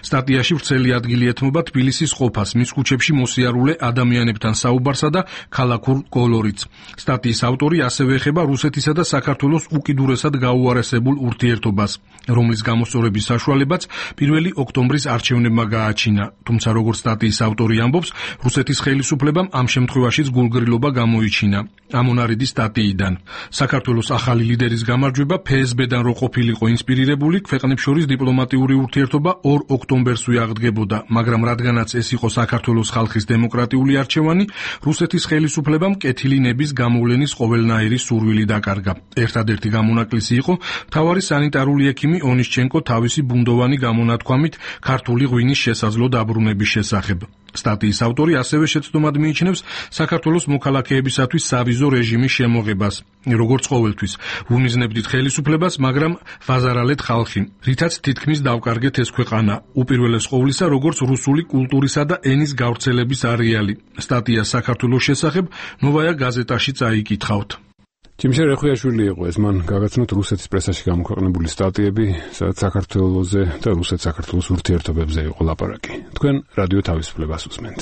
სტატიაში ვრცელი ადგილი ეთმობა თბილისის ყოფას, მის ქუჩებში მოსიარულე ადამიანებთან საუბარსა და ქალაქურ კოლორიტს. სტატიის ავტორი ასევე ეხება რუსეთისა და საქართველოს უკიდურესად გაუარესებულ ურთიერთობას, რომლის გამოსწორების საშუალებაც პირველი ოქტომბრის არჩევნებმა გააჩინა, თუმცა როგორც სტატიის ავტორი ამბობს, რუსეთის ხელისუფლებამ ამ შემთხვევაშიც გულგრილობა გამოიჩინა. ამონარიდი სტატიიდან. საქართველოს ახალი ლიდერის გამარჯვება FSB-დან რო ყოფილიყო ინსპირირებული, ქვეყნებს შორის დიპლომატიური ურთიერთობა 2 ოქტომბერსვე აღდგებოდა, მაგრამ რადგანაც ეს იყო საქართველოს ხალხის დემოკრატიული არჩევანი, რუსეთის ხელისუფლებამ კეთილი ნების გამოვლენის ყოველნაირი სურვილი დაკარგა. ერთადერთი გამონაკლისი იყო მთავარი სანიტარული ექიმი ონისჩენკო თავისი ბუნდოვანი გამონათქვამით ქართული ღვინის შესაძლო დაბრუნების შესახებ. სტატიის ავტორი ასევე შეცდომად მიიჩნევს საქართველოს მოქალაქეებისათვის სავიზო რეჟიმის შემოღებას. როგორც ყოველთვის, ვუმიზნებდით ხელისუფლებას, მაგრამ ვაზარალეთ ხალხი, რითაც თითქმის დავკარგეთ ეს ქვეყანა, უპირველეს ყოვლისა, როგორც რუსული კულტურისა და ენის გავრცელების არეალი. სტატია საქართველოს შესახებ ნოვაია გაზეტაში წაიკითხავთ. ჯიმშე რეხუიაშვილი იყო ეს, მან გაგაცნოთ რუსეთის პრესაში გამოქვეყნებული სტატიები, სადაც საქართველოზე და რუსეთ-საქართველოს ურთიერთობებზე იყო ლაპარაკი. თქვენ რადიო თავისუფლებას უსმენთ.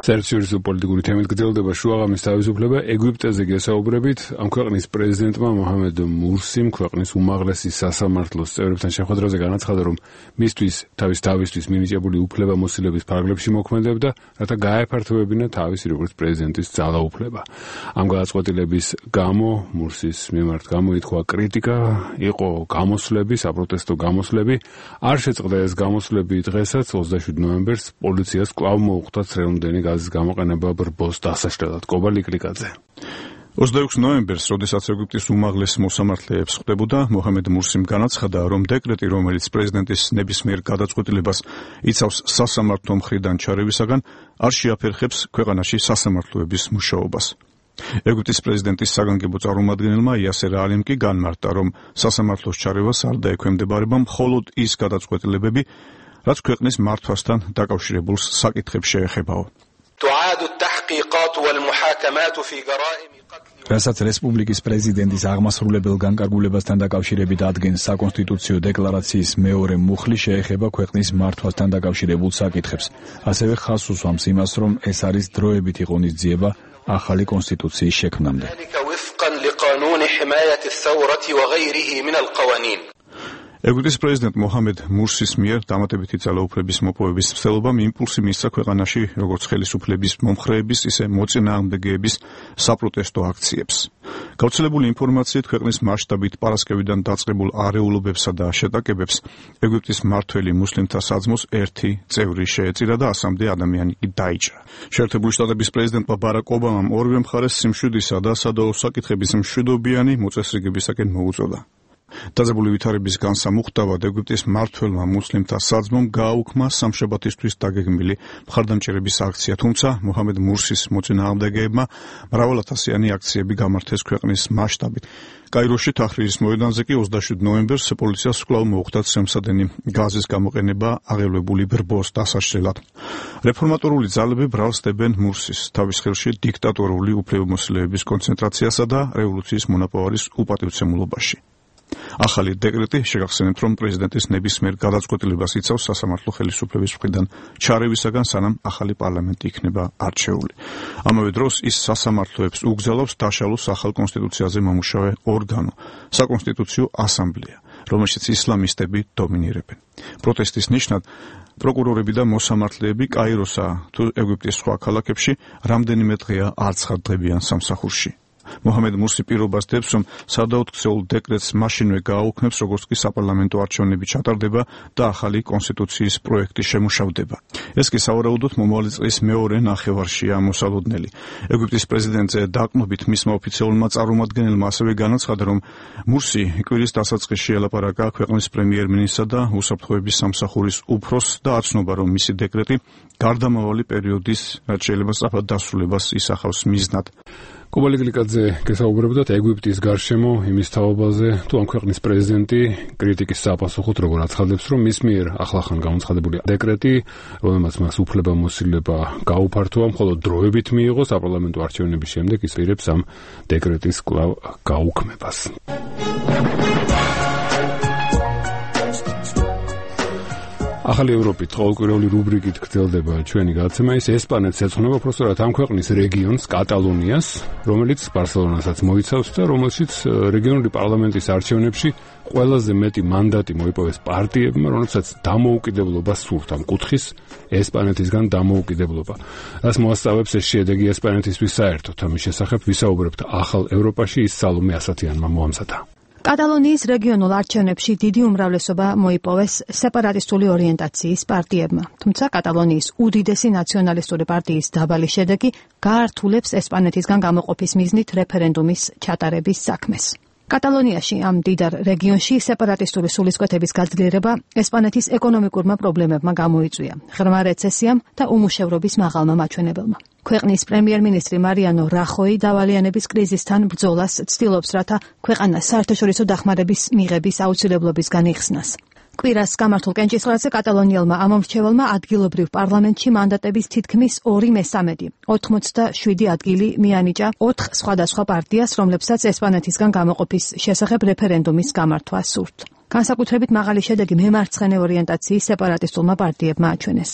საერთაშორისო პოლიტიკური თემით გრძელდება შუაღამის თავისუფლება. ეგვიპტეზე გესაუბრებით, ამ ქვეყნის პრეზიდენტმა მოჰამედ მურსიმ ქვეყნის უმაღლესი სასამართლოს წევრებთან შეხვედრაზე განაცხადა, რომ მისთვის თავისთვის მინიჭებული უფლებამოსილების ფარგლებში მოქმედებდა, რათა გაეფართოვებინა თავისი როგორც პრეზიდენტის ძალაუფლება. ამ გადაწყვეტილების გამო მურსის მიმართ გამოითქვა კრიტიკა, იყო გამოსვლები, საპროტესტო გამოსვლები. არ შეწყდა ეს გამოსვლები დღესაც 27 ნოემბერს პოლიციას კვლავ მოუხდა ცხელმდენი გაზის გამოყენება ბრბოს დასაშლელად. კობალი კლიკაძე. 26 ნოემბერს, როდესაც ეგვიპტის უმაღლეს მოსამართლეებს ხვდებოდა, მოჰამედ მურსიმ განაცხადა, რომ დეკრეტი, რომელიც პრეზიდენტის ნებისმიერ გადაწყვეტილებას იცავს სასამართლო მხრიდან ჩარევისაგან, არ შეაფერხებს ქვეყანაში სასამართლოების მუშაობას. ეგვიპტის პრეზიდენტის საგანგებო წარმომადგენელმა იასერ ალიმ კი განმარტა, რომ სასამართლოს ჩარევას არ დაექვემდებარება მხოლოდ ის გადაწყვეტილებები, რაც ქვეყნის მართვასთან დაკავშირებულ საკითხებს შეეხებაო. რასაც რესპუბლიკის პრეზიდენტის აღმასრულებელ განკარგულებასთან დაკავშირებით ადგენს საკონსტიტუციო დეკლარაციის მეორე მუხლი შეეხება ქვეყნის მართვასთან დაკავშირებულ საკითხებს. ასევე ხაზს უსვამს იმას, რომ ეს არის დროებითი ღონისძიება ახალი კონსტიტუციის შექმნამდე. ეგვიპტის პრეზიდენტ მოჰამედ მურსის მიერ დამატებითი ძალაუფლების მოპოვების მცდელობამ იმპულსი მისცა ქვეყანაში როგორც ხელისუფლების მომხრეების, ისე მოწინააღმდეგეების საპროტესტო აქციებს. გავრცელებული ინფორმაციით ქვეყნის მასშტაბით პარასკევიდან დაწყებულ არეულობებსა და შეტაკებებს ეგვიპტის მმართველი მუსლიმთა საძმოს ერთი წევრი შეეწირა და 100-მდე ადამიანი კი დაიჭრა. შეერთებული შტატების პრეზიდენტმა ბარაკ ობამამ ორივე მხარეს სიმშვიდისა და სადავო საკითხების მშვიდობიანი მოწესრიგებისაკენ მოუწოდა. დაძაბული ვითარების განსამუხტავად ეგვიპტის მმართველმა მუსლიმთა საძმომ გააუქმა სამშაბათისთვის დაგეგმილი მხარდამჭერების აქცია, თუმცა მოჰამედ მურსის მოწინააღმდეგეებმა მრავალათასიანი აქციები გამართეს ქვეყნის მასშტაბით. კაიროში თაჰრირის მოედანზე კი 27 ნოემბერს პოლიციას კვლავ მოუხდა ცემსადენი გაზის გამოყენება აღელვებული ბრბოს დასაშლელად. რეფორმატორული ძალები ბრალსდებენ მურსის თავის ხელში დიქტატორული უფლებამოსილების კონცენტრაციასა და რევოლუციის მონაპოვარის უპატივცემულობაში. ახალი დეკრეტი შეგახსენებთ, რომ პრეზიდენტის ნებისმიერ გადაწყვეტილებას იცავს სასამართლო ხელისუფლების მხრიდან ჩარევისაგან, სანამ ახალი პარლამენტი იქნება არჩეული. ამავე დროს ის სასამართლოებს უგზავნობს დაშალოს ახალ კონსტიტუციაზე მომუშავე ორგანო, საკონსტიტუციო ასამბლეა, რომელშიც ისლამისტები დომინირებენ. პროტესტის ნიშნად პროკურორები და მოსამართლეები კაიროსა თუ ეგვიპტის სხვა ქალაქებში რამდენიმე დღეა არ ცხადდებიან სამსახურში. მოჰამედ მურსი პირობას დებს, რომ სადაუქცეულ დეკრეტს მაშინვე გააუქმებს, როგორც კი საპარლამენტო არჩევნები ჩატარდება და ახალი კონსტიტუციის პროექტი შემუშავდება. ეს კი სავარაუდოდ მომავალი წლის მეორე ნახევარშია მოსალოდნელი. ეგვიპტის პრეზიდენტზე დაყრდნობით მისმა ოფიციალურმა წარმომადგენელმა ასევე განაცხადა, რომ მურსი კვირის დასაწყისში ელაპარაკა ქვეყნის პრემიერ-მინისტრსა და უსაფრთხოების სამსახურის უფროსს და აცნობა, რომ მისი დეკრეტი გარდამავალი პერიოდის, რაც შეიძლება სწრაფად დასრულებას ისახავს მიზნად. კობალი გლიკაძე გესაუბრებოდათ ეგვიპტის გარშემო იმის თაობაზე, თუ ამ ქვეყნის პრეზიდენტი კრიტიკის საპასუხოდ როგორ აცხადებს, რომ მის მიერ ახლახან გამოცხადებული დეკრეტი, რომელმაც მას უფლებამოსილება გაუფართოვა, მხოლოდ დროებით მიიღო საპარლამენტო არჩევნების შემდეგ, ის ირებს ამ დეკრეტის კვლავ გაუქმებას. ახალი ევროპით ყოველკვირეული რუბრიკით გრძელდება ჩვენი გადაცემა. ის ესპანეთს ეძღვნება უბრალოდ ამ ქვეყნის რეგიონს, კატალონიას, რომელიც ბარსელონასაც მოიცავს და რომელშიც რეგიონული პარლამენტის არჩევნებში ყველაზე მეტი მანდატი მოიპოვეს პარტიებმა, რომელსაც დამოუკიდებლობა სურთ ამ კუთხის ესპანეთისგან დამოუკიდებლობა. რას მოასწავებს ეს შედეგი ესპანეთისთვის საერთოდ? ამის შესახებ ვისაუბრებთ ახალ ევროპაში, ის სალომე ასათიანმა მოამზადა. კატალონიის რეგიონულ არჩევნებში დიდი უმრავლესობა მოიპოვეს სეპარატისტული ორიენტაციის პარტიებმა, თუმცა კატალონიის უდიდესი ნაციონალისტური პარტიის დაბალი შედეგი გაართულებს ესპანეთისგან გამოყოფის მიზნით რეფერენდუმის ჩატარების საქმეს. კატალონიაში ამ დიდარ რეგიონში სეპარატისტული სულისკვეთების გაძლიერება ესპანეთის ეკონომიკურმა პრობლემებმა გამოიწვია, ღრმა რეცესიამ და უმუშევრობის მაღალმა მაჩვენებელმა. ქვეყნის პრემიერ-მინისტრი მარიანო რახოი დავალიანების კრიზისთან ბრძოლას ცდილობს, რათა ქვეყანა საერთაშორისო დახმარების მიღების აუცილებლობისგან იხსნას. კვირას გამართულ კენჭისყრაზე კატალონიელმა ამომრჩეველმა ადგილობრივ პარლამენტში მანდატების თითქმის 2/3, 87 ადგილი მიანიჭა 4 სხვადასხვა პარტიას, რომლებსაც ესპანეთისგან გამოყოფის შესახებ რეფერენდუმის გამართვა სურთ. განსაკუთრებით მაღალი შედეგი მემარცხენე ორიენტაციის სეპარატისტულმა პარტიებმა აჩვენეს.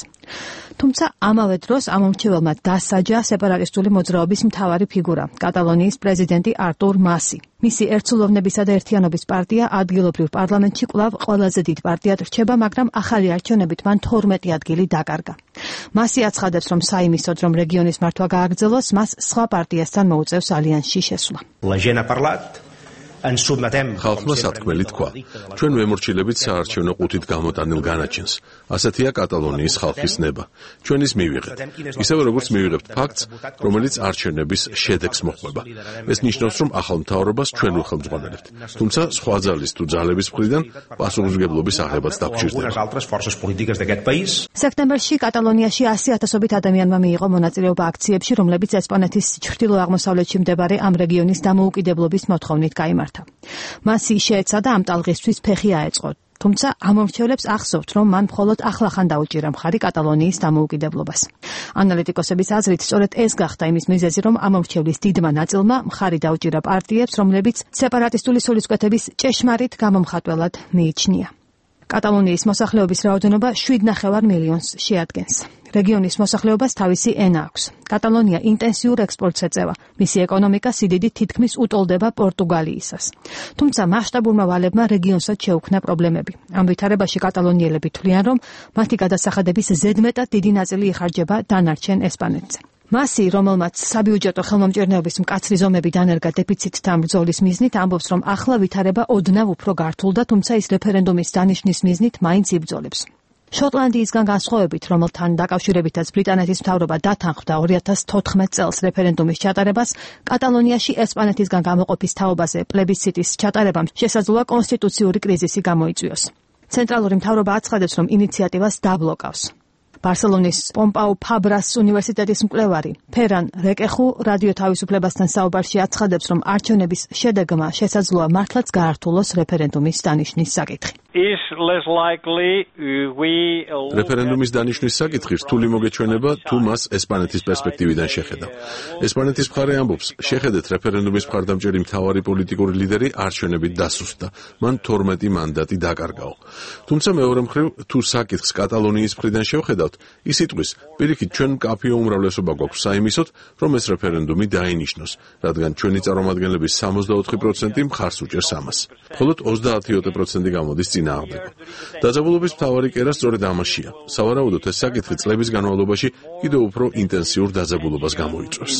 თუმცა ამავე დროს ამომრჩეველმა დასაჯა სეპარატისტული მოძრაობის მთავარი ფიგურა, კატალონიის პრეზიდენტი არტურ მასი. მისი ერთსულოვნებისა და ერთიანობის პარტია ადგილობრივ პარლამენტში კვლავ ყველაზე დიდ პარტიად რჩება, მაგრამ ახალი არჩევნებით მან 12 ადგილი დაკარგა. მასი აცხადებს, რომ საიმისოდ, რომ რეგიონის მართვა გააგრძელოს, მას სხვა პარტიასთან მოუწევს ალიანსში შესვლა. ხალხმა სათქმელი თქვა. ჩვენ ვემორჩილებით საარჩევნო ყუთით გამოტანილ განაჩენს. ასეთია კატალონიის ხალხის ნება. ჩვენ ის მივიღეთ. ისევე როგორც მივიღებთ ფაქტს, რომელიც არჩევნების შედეგს მოჰყვება. ეს ნიშნავს, რომ ახალ მთავრობას ჩვენ უხელმძღვანელებთ. თუმცა სხვა ძალის თუ ძალების მხრიდან პასუხისმგებლობის აღებაც დაგჭირდება. სექტემბერში კატალონიაში 100,000-ობით ადამიანმა მიიღო მონაწილეობა აქციებში, რომლებიც ესპანეთის ჩრდილო-აღმოსავლეთში მდებარე ამ რეგიონის დამოუკიდებლობის მოთხოვნით გაიმართა. მასი შეეცადა ამ ტალღისთვის ფეხი აეწყო, თუმცა ამომრჩევლებს ახსოვთ, რომ მან მხოლოდ ახლახან დაუჭირა მხარი კატალონიის დამოუკიდებლობას. ანალიტიკოსების აზრით, სწორედ ეს გახდა იმის მიზეზი, რომ ამომრჩევლის დიდმა ნაწილმა მხარი დაუჭირა პარტიებს, რომლებიც სეპარატისტული სულისკვეთების ჭეშმარიტ გამომხატველად მიიჩნია. კატალონიის მოსახლეობის რაოდენობა 7,5 მილიონს შეადგენს. რეგიონის მოსახლეობას თავისი ენა აქვს. კატალონია ინტენსიურ ექსპორტს ეწევა. მისი ეკონომიკა სიდიდით თითქმის უტოლდება პორტუგალიისას. თუმცა მასშტაბურმა ვალებმა რეგიონსაც შეუქმნა პრობლემები. ამ ვითარებაში კატალონიელები თვლიან, რომ მათი გადასახადების ზედმეტად დიდი ნაწილი იხარჯება დანარჩენ ესპანეთზე. მასი, რომელმაც საბიუჯეტო ხელმომჭირნეობის მკაცრი ზომები დანერგა დეფიციტთან ბრძოლის მიზნით, ამბობს, რომ ახლა ვითარება ოდნავ უფრო გართულდა, თუმცა ის რეფერენდუმის დანიშნის მიზნით მაინც იბრძოლებს. შოტლანდიისგან განსხვავებით, რომელთან დაკავშირებითაც ბრიტანეთის მთავრობა დათანხმდა 2014 წელს რეფერენდუმის ჩატარებას, კატალონიაში ესპანეთისგან გამოყოფის თაობაზე პლებისციტის ჩატარებამ შესაძლოა კონსტიტუციური კრიზისი გამოიწვიოს. ცენტრალური მთავრობა აცხადებს, რომ ინიციატივას დაბლოკავს. ბარსელონის პომპაუ ფაბრას უნივერსიტეტის მკვლევარი ფერან რეკეხუ რადიო თავისუფლებასთან საუბარში აცხადებს, რომ არჩევნების შედეგმა შესაძლოა მართლაც გაართულოს რეფერენდუმის დანიშნის საკითხი. რეფერენდუმის დანიშნვის საკითხი რთული მოგეჩვენება, თუ მას ესპანეთის პერსპექტივიდან შეხედავ. ესპანეთის მხარე ამბობს, შეხედეთ რეფერენდუმის მხარდამჭერი მთავარი პოლიტიკური ლიდერი არჩევნებით დასუსტდა, მან 12 მანდატი დაკარგაო. თუმცა მეორე მხრივ, თუ საკითხს კატალონიის მხრიდან შევხედავთ, ის იტყვის, პირიქით ჩვენ მკაფიო უმრავლესობა გვაქვს საიმისოდ, რომ ეს რეფერენდუმი დაინიშნოს, რადგან ჩვენი წარმომადგენლების 64% მხარს უჭერს ამას. მხოლოდ 30% გამოდის წინააღმდეგო. დაძაბულობის მთავარი კერა სწორედ ამაშია. სავარაუდოდ ეს საკითხი წლების განმავლობაში კიდევ უფრო ინტენსიურ დაძაბულობას გამოიწვევს.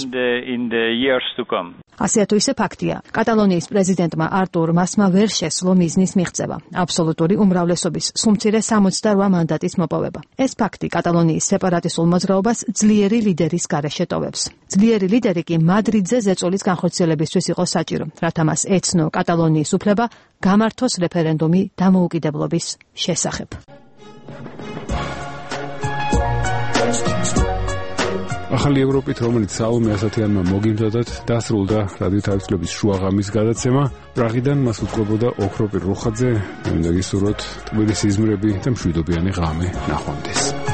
ასე თუ ისე ფაქტია, კატალონიის პრეზიდენტმა არტურ მასმა ვერ შესძლო მიზნის მიღწევა, აბსოლუტური უმრავლესობის სულ-მცირე 68 მანდატის მოპოვება. ეს ფაქტი კატალონიის სეპარატისტულ მოძრაობას ძლიერი ლიდერის გარეშე ტოვებს. ძლიერი ლიდერი კი მადრიდზე ზეწოლის განხორციელებისთვის იყო საჭირო, რათა მას ეცნო კატალონიის უფლება გამართოს რეფერენდუმი დამოუკიდებლობის შესახებ. ახალი ევროპით, რომელიც საომე ასათიანმა მოგიმზადათ, დასრულდა რადიო თავისუფლების შუაღამის გადაცემა. პრაღიდან მას უწყობოდა ოქროპირ რუხაძე, მინდა გისურვოთ ტყუილი სიზმრები და მშვიდობიანი ღამე ნახვამდის.